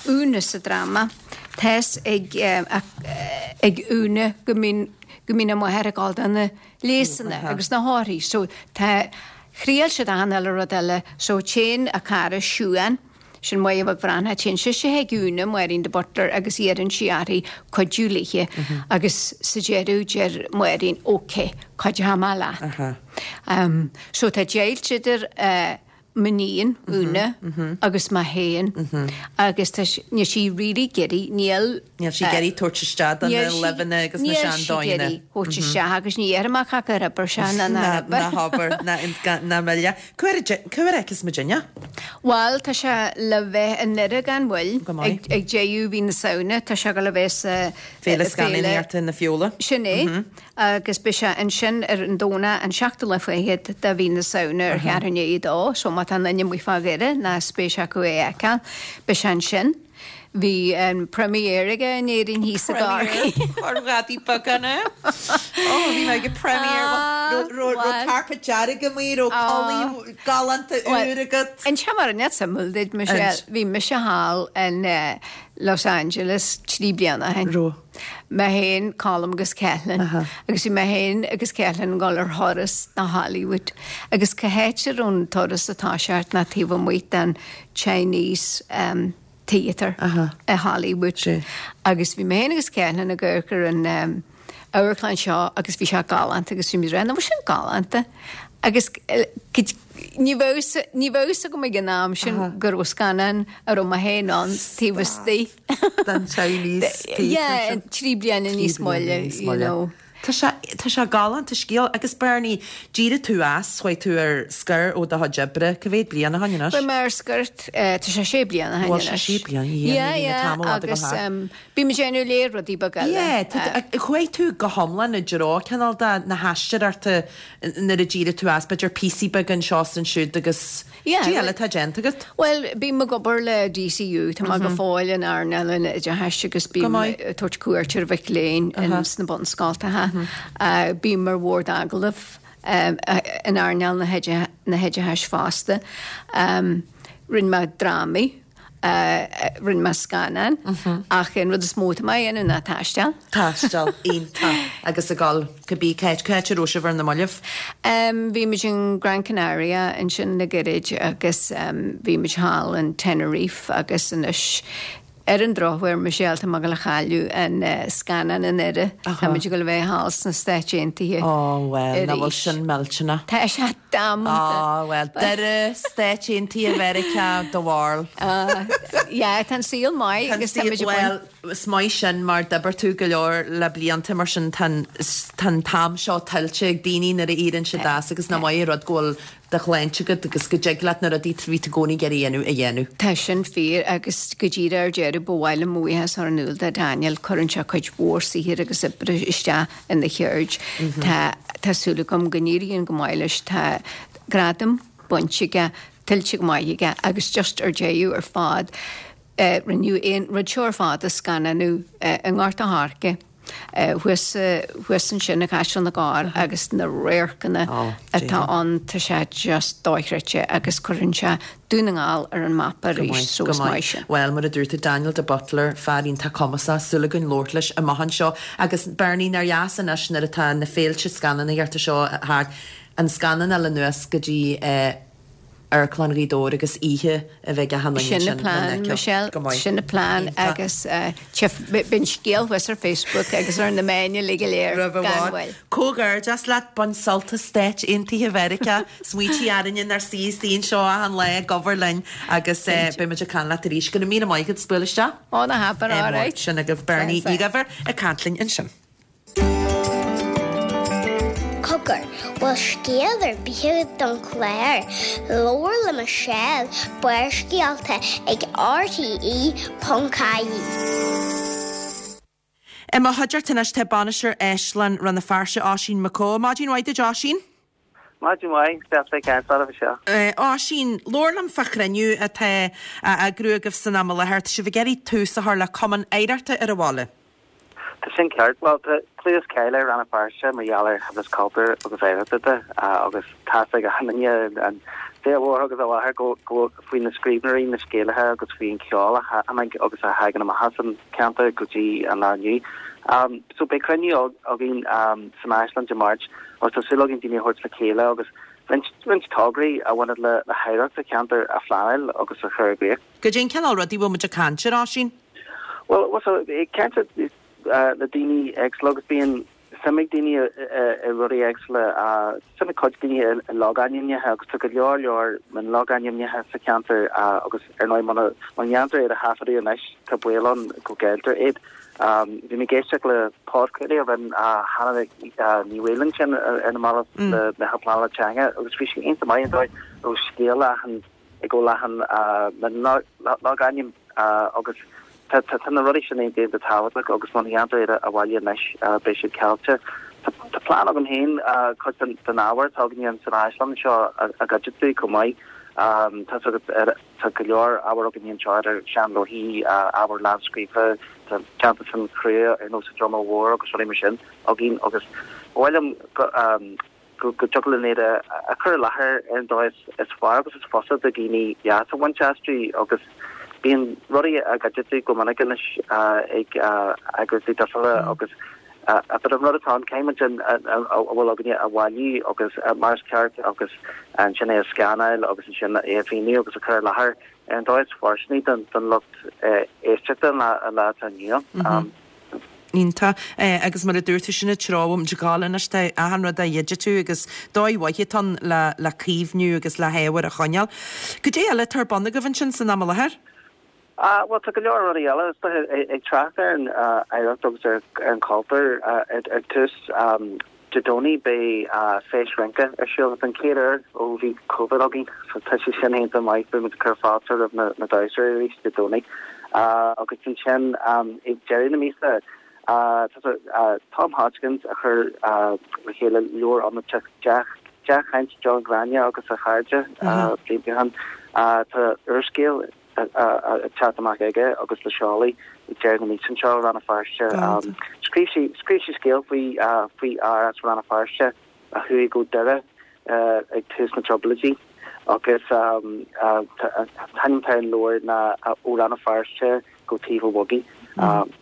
E: Úna sa dráma. Tá ag um, ag Úna go mbíonn go mbíonn a máthair ag gabháil do na leigheasanna agus na hórthaí, so tá thriail siad achan uile rud eile, so téann a cara Siún, sin Máire Bheag Bhreathnach, téann sise chuig Úna Máirín de Butler agus iarrann sí uirthi cuidiú léi agus sa deireadh deir Máirín ok, cuideoidh mé leat. Um, so tá deighilt idir uh, m'iníon Úna agus mé féin agus tá sí- níl sí really giddy níl
A: Níl sí ag iarraidh tabhairt isteach do na luibheanna agus na seandóigheanna.
E: Níl sí isteach agus ní dhéarfaidh mé cad a obair sé na
A: Na
E: na
A: na hobair na na mile. Cá fheicfeas muidinne?
E: Well tá sé le bheith i nDoire gan mhoill
A: Go maith.
E: ag ag deireadh mhí na Samhna tá sé le bheith sa
A: Féile Scannánaíochta na Feola.
E: Sin é agus beidh sé ansin ar an Domhnach an seachtú lá fichead de mhí na Samhna ar cheathrú i ndiaidh a dó, so má tá duine amuigh fá Dhoire ná spéis acu é a fheiceáil, beidh sé ansin. Bhí an premiere aige in Éirinn thíos i gCorcaigh.
A: Chorgáí beganna. Ó bhí mé ag premiere ro carpet dearg amuigh ro culaith galánta úr agat.
E: An se mar net samul did Michelle bhí mise thall in uh, Los Angeles trí bliana ó shin.
A: Ro.
E: Mé féin Colm agus Cetlin agus bhí mé féin agus Cetlin ag dul ar thuras na Hollywood agus cá háit a raibh an turas ag toiseacht ná taobh amuigh den Chinese um, Theatre i Hollywood.
A: Sí.
E: Agus bhí mé féin agus Cetlin ag amharc ar an um, amharclann seo agus bhí sé galánta agus bhí mé ag rá, sin galánta. Agus ní bheadh ní bheadh fhios agam ag an am sin go raibh scannán a raibh mé féin ann taobh istigh.
A: Den Chinese
E: Yeah, trí bliana níos moille, you know.
A: Tá sé tá sé galánta scéal agus Bernie, d'éirigh tú as, chuaigh tú ar scor ó do chuid oibre, cá mhéad bliain ó shin anois?
E: Bhí mé ar scor, tá sé sé bliana ó shin
A: Bhuel, sé
E: anois.
A: sé bliana, yeah,
E: Yeah,
A: ní
E: yeah,
A: tamall fada go
E: agus
A: thart.
E: um, bím ag déanamh léir rudaí beaga eile.
A: Yeah, tá- chuaigh tú go hiomlán i dtreo cineál de na haisteoireachta nuair a d'éirigh tú as, b'fhéidir píosaí beaga anseo is ansiúd agus
E: Yeah,
A: Cad
E: well-
A: eile atá déanta agat?
E: Well, bím ag obair le DCU, tá mé go fóill in earnáil an oideachais agus
A: Go
E: bím
A: maith.
E: ag tabhairt cuairt ar mhic léinn in sna bunscoltacha. Uh, bím ar bhord agallaimh um, uh, in earnáil na hoide- na hoideachais fosta. Um, rinne mé drámaí, uh, rinne mé scannán, ach an rud is mó atá mé a dhéanamh ná taisteal.
A: Taisteal iontach agus ag dul cibé cá háit cá háit a raibh sibh ar na mallaibh.
E: Um, bhí muid in Gran Canaria ansin le gairid agus um, bhí muid thall in Tenerife agus anois ar an drochuair Michelle tá mé ag gabháil a chailleadh an uh, scannán i nDoire. Tá muid ag gabháil a bheith thall sna Stáit Aontaithe.
A: Ó well, nach bhfuil
E: Arís.
A: sin millteanach.
E: Tá sé damanta.
A: Á well, Doire Stáit Aontaithe Mheiriceá do bharúil.
E: Uh, yeah, tá an saol maith agus tá muid ag baint-
A: Well, is maith sin mar d'oibir tú go leor le blianta mar sin tá an t-am seo tuillte ag daoine nuair a éiríonn siad as agus nach maith an rud go bhfuil do shláinte agat agus go dtig leat na rudaí a bhí tú i gcónaí ag iarraidh a dhéanamh a dhéanamh.
E: Tá sin fíor agus go díreach ar deireadh ba mhaith liom buíochas a chur in iúl do Daniel cuireann sé cuid mhór saothair agus oibre isteach ina cheird. Tá tá súil agam go n-éiríonn go maith leis tá gradam bainte aige tuillte go maith aige agus just ar deireadh ar fad. Uh, rinneadh an rud seo ar fad a scannánú uh, i nGort an Choirce. Uh, thuas thuas ansin i gCaiseal na gCorr agus na radharcanna
A: Oh,
E: atá ann tá sé just dochreidte agus cuireann sé Dún na nGall ar an mapa arís so is maith sin.
A: Well, mar a dúirt tú Daniel de Butler fear iontach cumasach súil againn labhairt leis amach anseo agus Bernie nár dheas anois nuair atá na féilte scannánaíochta seo thart an scannán eile anuas go dtí eh, Amharclann Ghaoth Dobhair agus oíche a bheidh a hanna
E: Sin an plean Michelle, sin an plean agus uh, bíonn scéal thuas ar Facebook agus ar na meáin uilig go léir gan mhoill.
A: Comhghairdeas leat bain sult as Stáit Aontaithe Mheiriceá, smaointigh orainne inár suí istigh anseo an lá gabhar linn agus eh, beimid ag caint leat arís go raibh míle maith agat as bualadh isteach.
E: Ó ná habair
A: Eh,
E: alright.
A: Sin agaibh Bernie
E: Sa- sa.
A: Ní Dhuibhir ag caint linn ansin.
C: Cogar, bhfuil scéal ar bith don chlár, Labhair le Michelle Barrscéalta ag RTE ponc ie.
A: I mo chuideachta anois tá bainisteoir Áislann Rann na Feirste Oisín McCaw. Maidin mhaith duit Oisín?
F: Maidin mhaith deas caint libh seo.
A: Uh, Oisín, labhair liom fá chruinniú atá á eagrú agaibh san am i láthair, tá sibh ag iarraidh tús a chur le cumann oidhreachta ar an bhaile.
F: Tá sin ceart well tá clú is cáil ar Rann na Feirste mar gheall ar shaibhreas cultúir agus oidhreachta agus tá ag an an mhór agus a láthair go go faoi na scríbhneoirí na scéalaithe agus faoin cheol a agus a thagann amach as an ceantar go dtí an lá inniu. Um, so beidh cruinniú againn um, san Áislann Dé Máirt agus tá súil againn daoine a thabhairt le chéile agus roinnt tograí a bhaineann le le hoidhreacht sa cheantar a phleanáil agus a chur i gcrích.
A: Goidé an cineál rudaí bhfuil muid ag caint ar Oisín?
F: Well, well ceint uh, le daoine éagsúla agus bíonn suim ag daoine i rudaí éagsúla suim ag cuid daoine i logainmneacha agus tá go leor leor mionlogainmneacha sa cheantar agus ar ndóigh muna ndéantar iad a thaifeadadh anois tá baol ann go gcailltear iad. Um, bhí mé ag éisteacht le podchraoladh a rinne Hannah Ní Mhaoláin sin ar na mallaibh le meitheal pleanála teanga agus bhí sé iontach maith an dóigh ó scéal leathan ag go leathan logainm agus tá na rudaí sin iontach tábhachtach agus má dhéantar iad a bhailiú anois beidh siad caillte. Tá plean agam féin cuid den ábhar atá againn san áislann seo a dhigitiú chomh maith. Tá tá go leor ábhar againn anseo ar seanleabharthaí ábhar lámhscríofa teannta san chrua ar nós Droma Mhór agus rudaí mar sin againn agus bhfuilm go go dtiocfadh linn iad a chur i láthair ar an dóigh is fearr agus is fusa do dhaoine leas a bhaint astu agus bíonn rudaí á dhigitiú go minic anois ag eagraíochtaí difriúla agus a an rud atá caithfimid a bhfuil againne a bhailiú agus mar is ceart agus ansin é a scanáil agus ansin é a mhíniú agus a chur i láthair ar an dóigh is fóirsteanaí don don lucht éisteachta an lá atá inniu.
A: Iontach. Agus mar a dúirt tú, sin an treo a bhfuil muid ag gabháil anois, tá achan rud á dhigitiú agus dóigh mhaith atá ann le le caomhnú agus le hábhar a choinneáil. Cad é eile atá ar bun agaibh ansin san am i láthair?
F: Ah, bhuel, tá go leor rudaí eile, is dóiche, ag trácht ar an oidhreacht agus ar an chultúr ar tús. Dé Domhnaigh beidh Feis Rince ar siúl don chéad uair ó bhí Covid againn, so tá sé sin iontach maith, beidh muid ag cur fáilte roimh na damhsóirí arís Dé Domhnaigh. Agus ansin ag deireadh na míosa tá Tom Hodgkins a chuir le chéile leabhar iomráiteach Dea-Chaint John Ghráinne agus a Chairde blianta ó shin. Tá úrscéal ag teacht amach aige agus le seoladh ag deireadh na míosa anseo i Rann na Feirste. Scríobh sé scríobh sé scéal faoi faoi fhear as Rann na Feirste a chuaigh go Doire ag tús na dTrioblóidí agus an t-ainm atá ar an leabhar ná Ó Rann na Feirste go Taobh an Bhogaigh.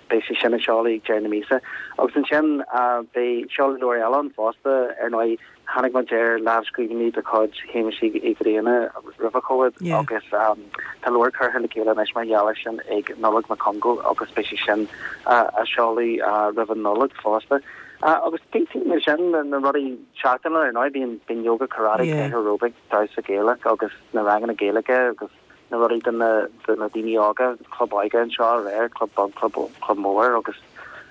F: Beidh sé sin ag seoladh ag deireadh na míosa. Agus ansin beidh seoladh leabhair eile ann fosta, ar ndóigh. Tháinig muid ar lámhscríbhinní de chuid Shéamuis Uí Ghrianna roimhe Covid agus tá leabhar curtha le chéile anois mar gheall air sin ag Nollaig Mac Congáil agus beidh sé sin á seoladh roimh an Nollaig fosta. Agus taobh amuigh de sin, na rudaí seachtainiúla ar ndóigh, bíonn bíonn yoga, karate, aeróbaic, damhsa Gaelach agus na ranganna Gaeilge agus na rudaí do na do na daoine óga, club óige anseo aréir, club beag, club club mór agus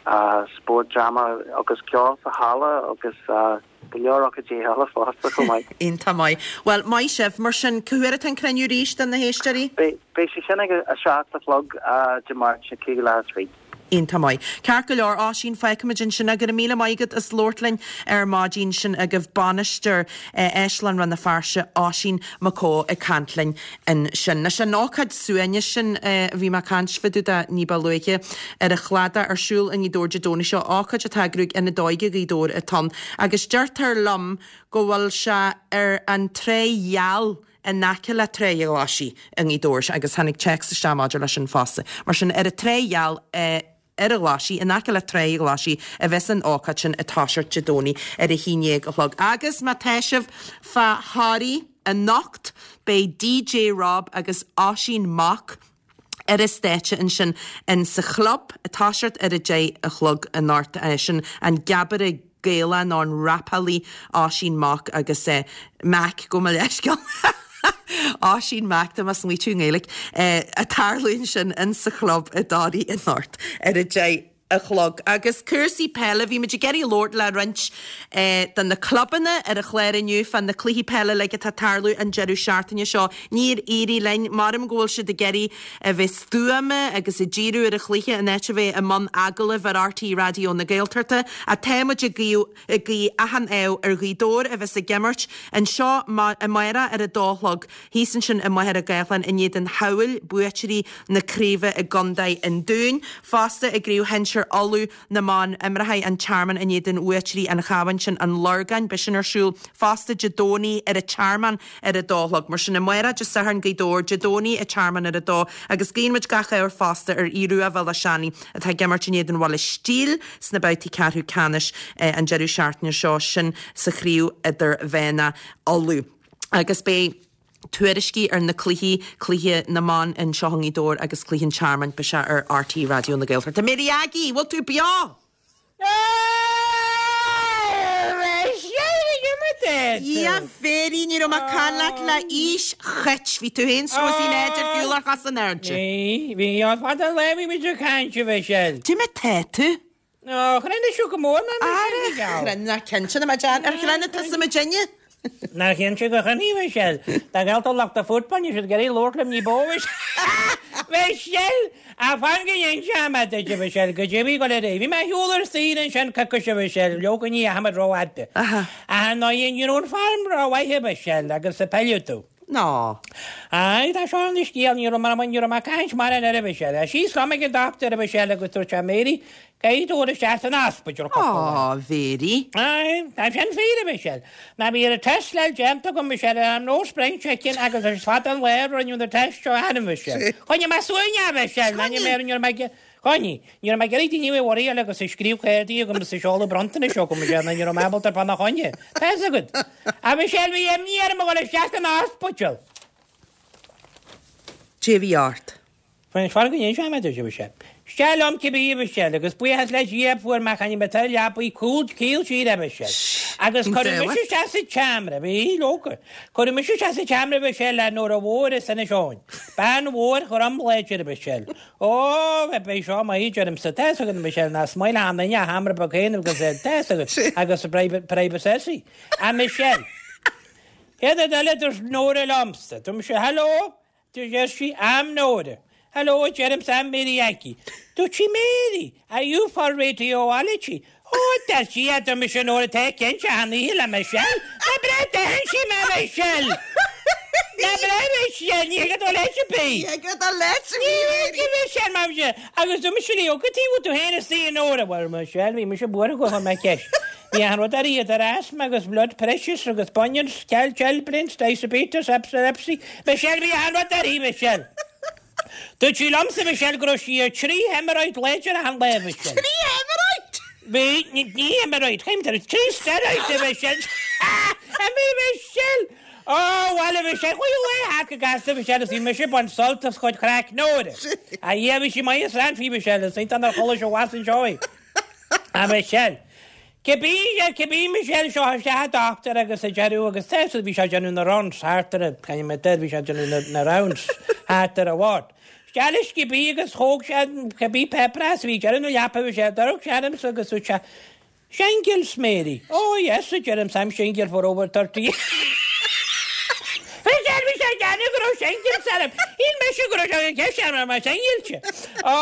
F: spórt, dráma agus ceol sa halla agus go leor ócáidí eile fosta chomh maith.
A: Iontach maith. Bhuel, maith sibh. Mar sin, cá huair atá an cruinniú arís do na héisteoirí?
F: Beidh sé sin ag a seacht a chlog Dé Máirt, a cúig leath a trí.
A: Iontach maith. Ceart go leor, Oisín, fágfaimid ansin é. Go raibh míle maith agat as labhairt linn ar maidin. Sin agaibh bainisteoir Áislann Rann na Feirste, Oisín Mac Cóil ag caint linn ansin. Anois an ócáid suaimhnis sin a bhí mé ag caint fá dtaobh de ní ba luaithe ar an chladach ar siúl i nGaoth Dobhair Dé Domhnaigh seo, ócáid atá á eagrú ag Ionad Óige Ghaoth Dobhair atá ann agus deirtear liom go bhfuil sé ar an Tráigh Gheal in aice le Tráigh a' Ghlaisigh i nGaoth Dobhair agus tháinig téacs isteach maidir leis sin fosta. Mar sin ar an Tráigh Gheal i ar a Ghlaisigh, in aice le Tráigh a' Ghlaisigh a bheas an ócáid sin ag toiseacht Dé Domhnaigh ar a haon dhéag a chlog. Agus má tá sibh fá Thoraí anocht beidh DJ Rob agus Oisín Mac ar an stáitse ansin in sa chlub ag toiseacht ar a deich a chlog anocht. Sin an geabaire Gaelach nó an rapálaí Oisín Mac agus Mac, gabh mo leithscéal. Oisín Mac, tá mé ag smaoitiú i nGaeilge, ag tarlú ansin in sa chlub i dToraigh anocht ar a deich a chlog. Agus cúrsaí peile, bhí muid ag iarraidh labhairt le roinnt de na clubanna ar an chlár inniu fá na cluichí peile uilig atá ag tarlú an deireadh seachtaine seo. Níor éirigh linn. Maram go bhfuil siad ag iarraidh a bheith stuama agus ag díriú ar an chluiche in áit a bheith i mbun agallaimh ar RTÉ Raidió na Gaeltachta. Ach tá muid ag guí ag guí achan ádh ar Ghaoth Dobhair a bheas ag imirt anseo amárach ar a dó a chlog thíos ansin i Machaire Gathlán in éadan Theamhair, buaiteoirí na craoibhe i gContae an Dúin. Fosta i gCraobh Shinsir Uladh na mBan imreoidh an Tearmann in éadan bhuaiteoirí an Chabháin sin, An Lorgáin. Beidh sin ar siúl fosta Dé Domhnaigh ar an Tearmann ar a dó a chlog. Mar sin amárach Dé Sathairn Gaoth Dobhair, Dé Domhnaigh an Tearmann ar a dó agus guíonn muid gach ádh fosta ar Aodh Rua Bhéal Átha Seanaidh atá ag imirt in éadan Bhaile Stíl sna babhtaí ceathrú ceannais an deireadh seachtaine seo, sin sa chraobh idirmheánach Uladh. Agus beidh tuairiscí ar na cluichí, cluiche na mban anseo i nGaoth Dobhair agus cluiche an Tearmainn, beidh sé ar RTÉ Raidió na Gaeltachta. Mary Aggie, bhfuil tú beo? A Mhary, ní raibh mé ag caint leat le aois chait. Bhí tú féin 's Róisín Áid ar shiúl ar chos in airde.
G: Bhí, bhí, fada an lá a bhí muid ag caint, a Mhichelle.
A: Cad é mar tá tú?
G: Ó, chruinnigh sibh go mór mé,
A: Ara, chruinnigh, cinnte, na mé, ar chruinnigh tusa muidinne?
G: Nár chinnte gur chruinnigh, a Mhichelle. Dá gcailltear lucht an football, níl siad ag iarraidh labhairt liom ní ba mhó, Mhichelle! Ach fan go n-inseoidh mé duit, a Mhichelle, goidé a bhí ag dul ar aghaidh. Bhí mé ar shiúl ar saoire ansin coicís, a Mhichelle, leoga ní dheachaigh muid rófhada. Ach ar ndóigh, ní raibh an form rómhaith, a Mhichelle, agus a peileadh tú.
A: Ná.
G: Aye, tá seo ina scéal, ní raibh mé, ní raibh mé ag caint mar an ar a Mhichelle. Síos liom ag an dochtúir, a Mhichelle, agus dúirt sé, Mary, caithfidh tú dul isteach san ospidéal cúpla lá.
A: Á, Mhary.
G: Aye, tá sin fíor, a Mhichelle. Ná bhí an test le déanta agam, Michelle, and I'm no spring chicken agus is fada an lá a rinneadh na test seo orm, a Mhichelle. Choinnigh mé suaimhneach, a Mhichelle, ná ní mé, ní raibh mé ag, choinnigh, ní raibh mé ag iarraidh daoine a bheith worryáil agus ag scríobh cártaí agam is ag seoladh bronntanais chugam, Michelle, ná ní raibh mé ábalta ar fána choinne. Tá fhios agat. A Mhichelle, bhí imní orm a dhul isteach san ospidéal.
A: Cad é a bhí ort.
G: Fan go n-inseoidh mé duit, a Mhichelle. Isteach liom cibé a Mhichelle, agus buíochas le Dia fuair mé chan mé tar leapaí cúl cíl siar a Mhichelle. Agus cuireadh mise isteach sa tseomra, bhí leoga. Cuireadh mise isteach sa tseomra a Mhichelle le Nóra Mhór as Inis Eoghain. Bean mhór ghorm láidir a Mhichelle. Ó, beidh seo maith deirimse, tá's agat a Mhichelle, ná smaoin achan duine a sheomra beag féin agus tá's agat, agus privacy. A Mhichelle. Céad rud eile dúirt Nóra liomsa, dúirt mise, Hello, deir sí, I'm Nóra. Hello, deirimse, I'm Mary Aggie. Dúirt sí, Mary, are you for radiology? Ó, deir sí, a dúirt mise, Nóra, tá cinnte, achan oíche le Michelle. Ná breith d'aithin sí mé, Michelle. Ná breith, Michelle, ní thig dul leis ar bith.
A: Ní thig dul leis ar
G: Ní
A: bith,
G: thig, Michelle, mar mise. Agus dúirt mise léi, ó, cad tuige bhfuil tú féin istigh, a Nóra? Bhuel, Michelle, bhí mise buartha go chuir mé ceist. Bhí achan rud uirthi, idir asthma agus blood pressures agus bunions, chilblains, diabetes, epilepsy. Michelle, bhí achan rud uirthi, Michelle. Dúirt sí liomsa, Michelle, go raibh sí ar trí hemorrhoid láidir achan lá, Michelle.
A: Trí hemorrhoid?
G: Bhí, ní, ní hemorrhoid, chaim tar trí steroid, a Michelle. A bhí, Michelle! Ó, bhuel, a Michelle, chuaigh an lá thart go gasta, Michelle, is bhí mise ag baint sult as chuid chraic Nóra. A Dhia, bhí sí maith is rannfaí, Michelle, is iontach nár chuala sé abhus anseo í. A Michelle. Cibé, cibé Michelle seo isteach an dochtúir agus a deireadh agus tá bhí sé ag déanamh na rounds thart ar a, caithfidh mé deir, bhí sé ag déanamh na, na rounds thart ar an ward. Isteach leis cibé agus thóg sé cibé páipéar as bhí deireadh na leapa bhí sé, d'amharc sé ormsa agus dúirt sé, Shingles, Mary. Oh yes, a deirimse, I'm single for over thirty years. Bhí sé, bhí sé ag déanamh go raibh shingles orm. Shíl mise go raibh sé ag ceist orm mar single. Ó,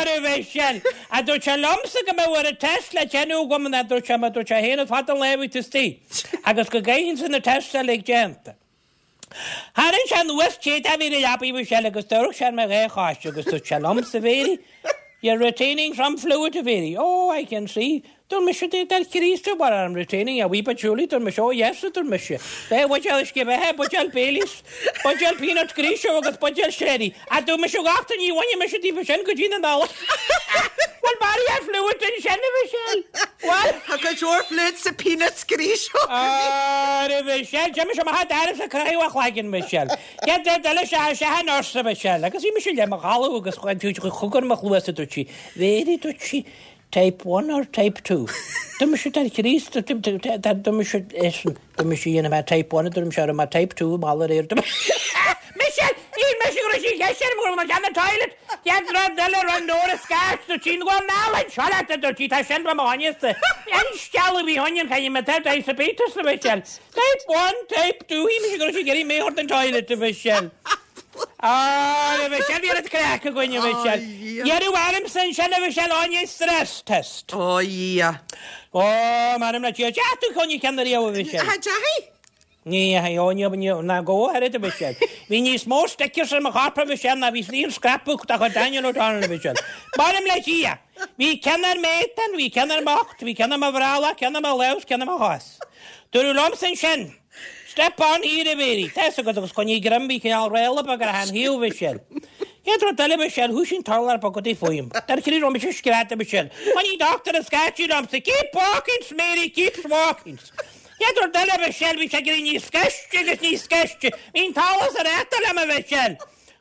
G: a Mhichelle. A dúirt sé liomsa go mbeadh ar an test le déanamh agam an dúirt sé, mar dúirt sé féin is fada an lá a bhí tú istigh. Agus go gcaithfinnse na tests uilig déanta. Tharraing sé anuas téad a bhí ar a leapaidh Mhichelle agus d'amharc sé ar mo dhá chois agus dúirt sé liomsa, Mary, you're retaining some fluid, a Mhary. Oh, I can see. Dúirt mise, dar Chríost, what I'm retaining a wee bit surely. Dúirt mise, oh yes, dúirt mise. Bheith buidéal uisce beatha, buidéal Baileys, buidéal peanut grease agus buidéal sherry. A dúirt mise, gach ní bhaine mise daofa sin go dtí na Nollag. Bhuel, maraí ar fluid ansin, a Mhichelle. Bhuel.
A: Tá go leor fluid sa peanuts grease.
G: Á, a Mhichelle, d'imigh sé amach d'fhearas a croitheadh a chloigeann, Michelle. Céad rud eile sea sea an nurse, a Mhichelle. Agus bhí mise le mo ghalladh agus chugar mo chluasa, dúirt sí. Mary, dúirt sí, type one or type two? Dúirt mise, dar Chríost, dúirt mise, listen, dúirt mise, dhéanfaidh mé type one, dúirt mise, raibh mé type two, mall aréir. Michelle, níl mise go raibh sí cheist orm go raibh mé ceann an toilet. Céad rud eile raibh Nóra scairt, dúirt sí, go anall anseo leat, dúirt sí, tá sin ba mo choinneasta. An sceal a bhí ionann, caithfidh mé tá diabetes, a Mhichelle. Type one, type two, shíl mise go raibh sí ag iarraidh mé a thabhairt don toilet, a Mhichelle. Á, a Mhichelle, bhí an craic againn, a Mhichelle. Iarradh ormsa ansin, a Mhichelle, áine stress test.
A: Ó, Dhia.
G: Ó, m'anam le Dia, deach tú choinne ceann riamh, a Mhichelle.
A: Cha deachaigh?
G: Ní, ó, ní, ní, ná go háirid, a Mhichelle. Bhí níos mó stickers ar mo chorp, a Mhichelle, ná bhí slí an scrapbook dá chuid Daniel O'Donnell, a Mhichelle. M'anam le Dia. Bhí ceann ar m'éadan, bhí ceann ar m'ucht, bhí ceann ar mo bhrollach, ceann ar mo lámh, ceann ar mo chos. Dúradh liomsa ansin, Step on here, a Mhary. Tá's agat agus coinnigh greim, bhí cineál réala beag ar achan thaobh, a Mhichelle. Chéad rud eile, Michelle, thoisigh an t-urlár bog go dtí fúm. Dar chroí raibh mise scread, a Mhichelle. Coinnigh dochtúir an scaití liomsa, Keep walking, Mary, keep walking. Chéad rud eile, Michelle, bhí sé ag éirí níos gaiste agus níos gaiste. Bhí an t-allas ar eachtra liom, a Mhichelle.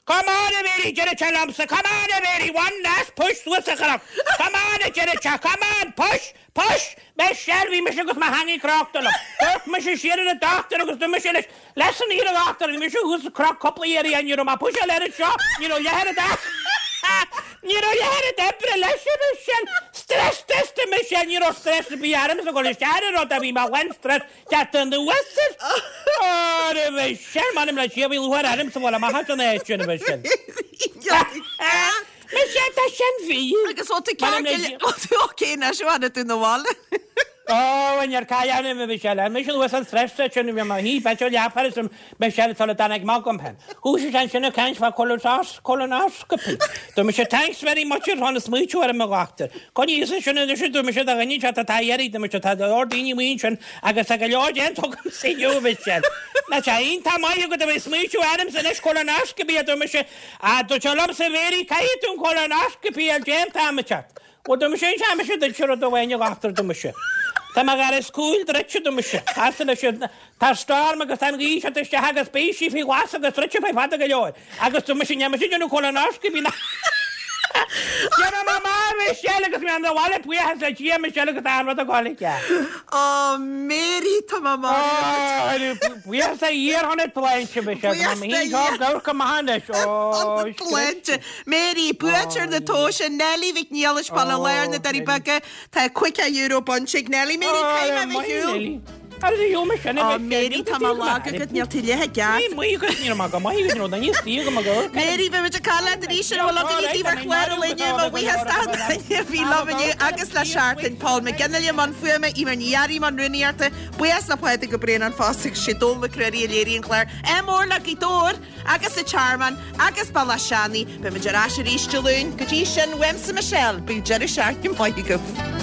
G: Come on, a Mhary, deireadh sé liomsa. Come on, a Mhary, one last push suas an chnoc. Come on, a deireadh sé, come on, push, push. Michelle, bhí mise agus mo theangaidh crochta liom. D'amharc mise siar ar an dochtúir agus dúirt mise leis, Listen here, a dhochtúir, bhí mise thuas sa chnoc cúpla iarraidh, ní raibh mé push-áil air anseo, ní raibh leath oiread Ní raibh leath oiread oibre leis, a Michelle. Stress test, a Michelle, ní raibh stress ar bith ormsa ag dul isteach ar an rud a bhí mé lán stress teacht anuas air. Ó, a Michelle, m'anam le Dia, bhí lúcháir ormsa bhfuil amach as an áit sin, a Michelle. Michelle, tá sin bhí.
A: Agus ó tú ceart go le- ó tú okay anois, ó tháinig tú 'na bhaile.
G: Ó, in ar cailleadh a Michelle, Michelle was an stress sin bhí mar hí beit leathfar is Michelle sula dtáinig amach agam féin. Chuaigh sé ansin ag caint fá colonoscopy. Dúirt mise thanks very much ar tháinig smaoitiú ar mo dhochtúir. Coinnigh sin sin anois dúirt mise do dhuine seo tá iarraidh dúirt mise tá leor daoine amuigh ansin agus tá go leor déanta agam sa inniu Michelle. Ná sé iontach maith agat a bheith smaoitiú ormsa anois colonoscopy a dúirt mise a dúirt sé liomsa Mary caithfidh tú an colonoscopy a déanta amateach. Bhuel dúirt mise inse mise duit rud amháin a dhochtúir dúirt mise. Tá mo gharas cúil druidte dúirt mise. Tá leis an tá storm agus tá an ghaoth seo isteach agus beidh sí faoi ghlas agus druidte fé fada go leor. Agus dúirt mise níl mise déanamh colonoscopy ná. Déanfaidh mé amach, Michelle, agus mé 'na bhaile buíochas le Dia, Michelle, agus an rud ag dul aici.
A: Ó, Mary, tá mé marbh.
G: Buíochas a Dhia ar shon na tsláinte, Michelle.
A: Buíochas
G: Tá
A: do
G: mé féin
A: Dhia.
G: seo ag amharc amach anois.
A: Ar
G: Ó,
A: na tsláinte. Mary, buaiteoir na tomhaise, Nellie Mhic Niallais, Baile Láir, na Doirí Beaga. Tá caoga euro bainte ag Nellie. Mary, caithfidh mé a bheith ar shiúl. Ó, Mary, tá mé lag agat, níl tú leath i gceart. Mary, beimid ag caint leat arís ar bhfuil againn daoibh ar chlár an lae inniu, mo bhuíochas d'achan duine a bhí liom inniu agus le Seachtain, Paul McGinley i mbun fuaime, Eimear Ní Fhearraigh i mbun rúnaíochta, buíochas le Pádraig Ó Braonáin fosta agus sé Dónall Mac Ruairí a léirigh an clár. Ádh mór le Gaoth Dobhair agus an Tearmann agus Bealach Seanaidh. Beimid ar ais arís Dé Luain. Go dtí sin, uaimse Michelle, bíodh deireadh seachtaine maith agaibh.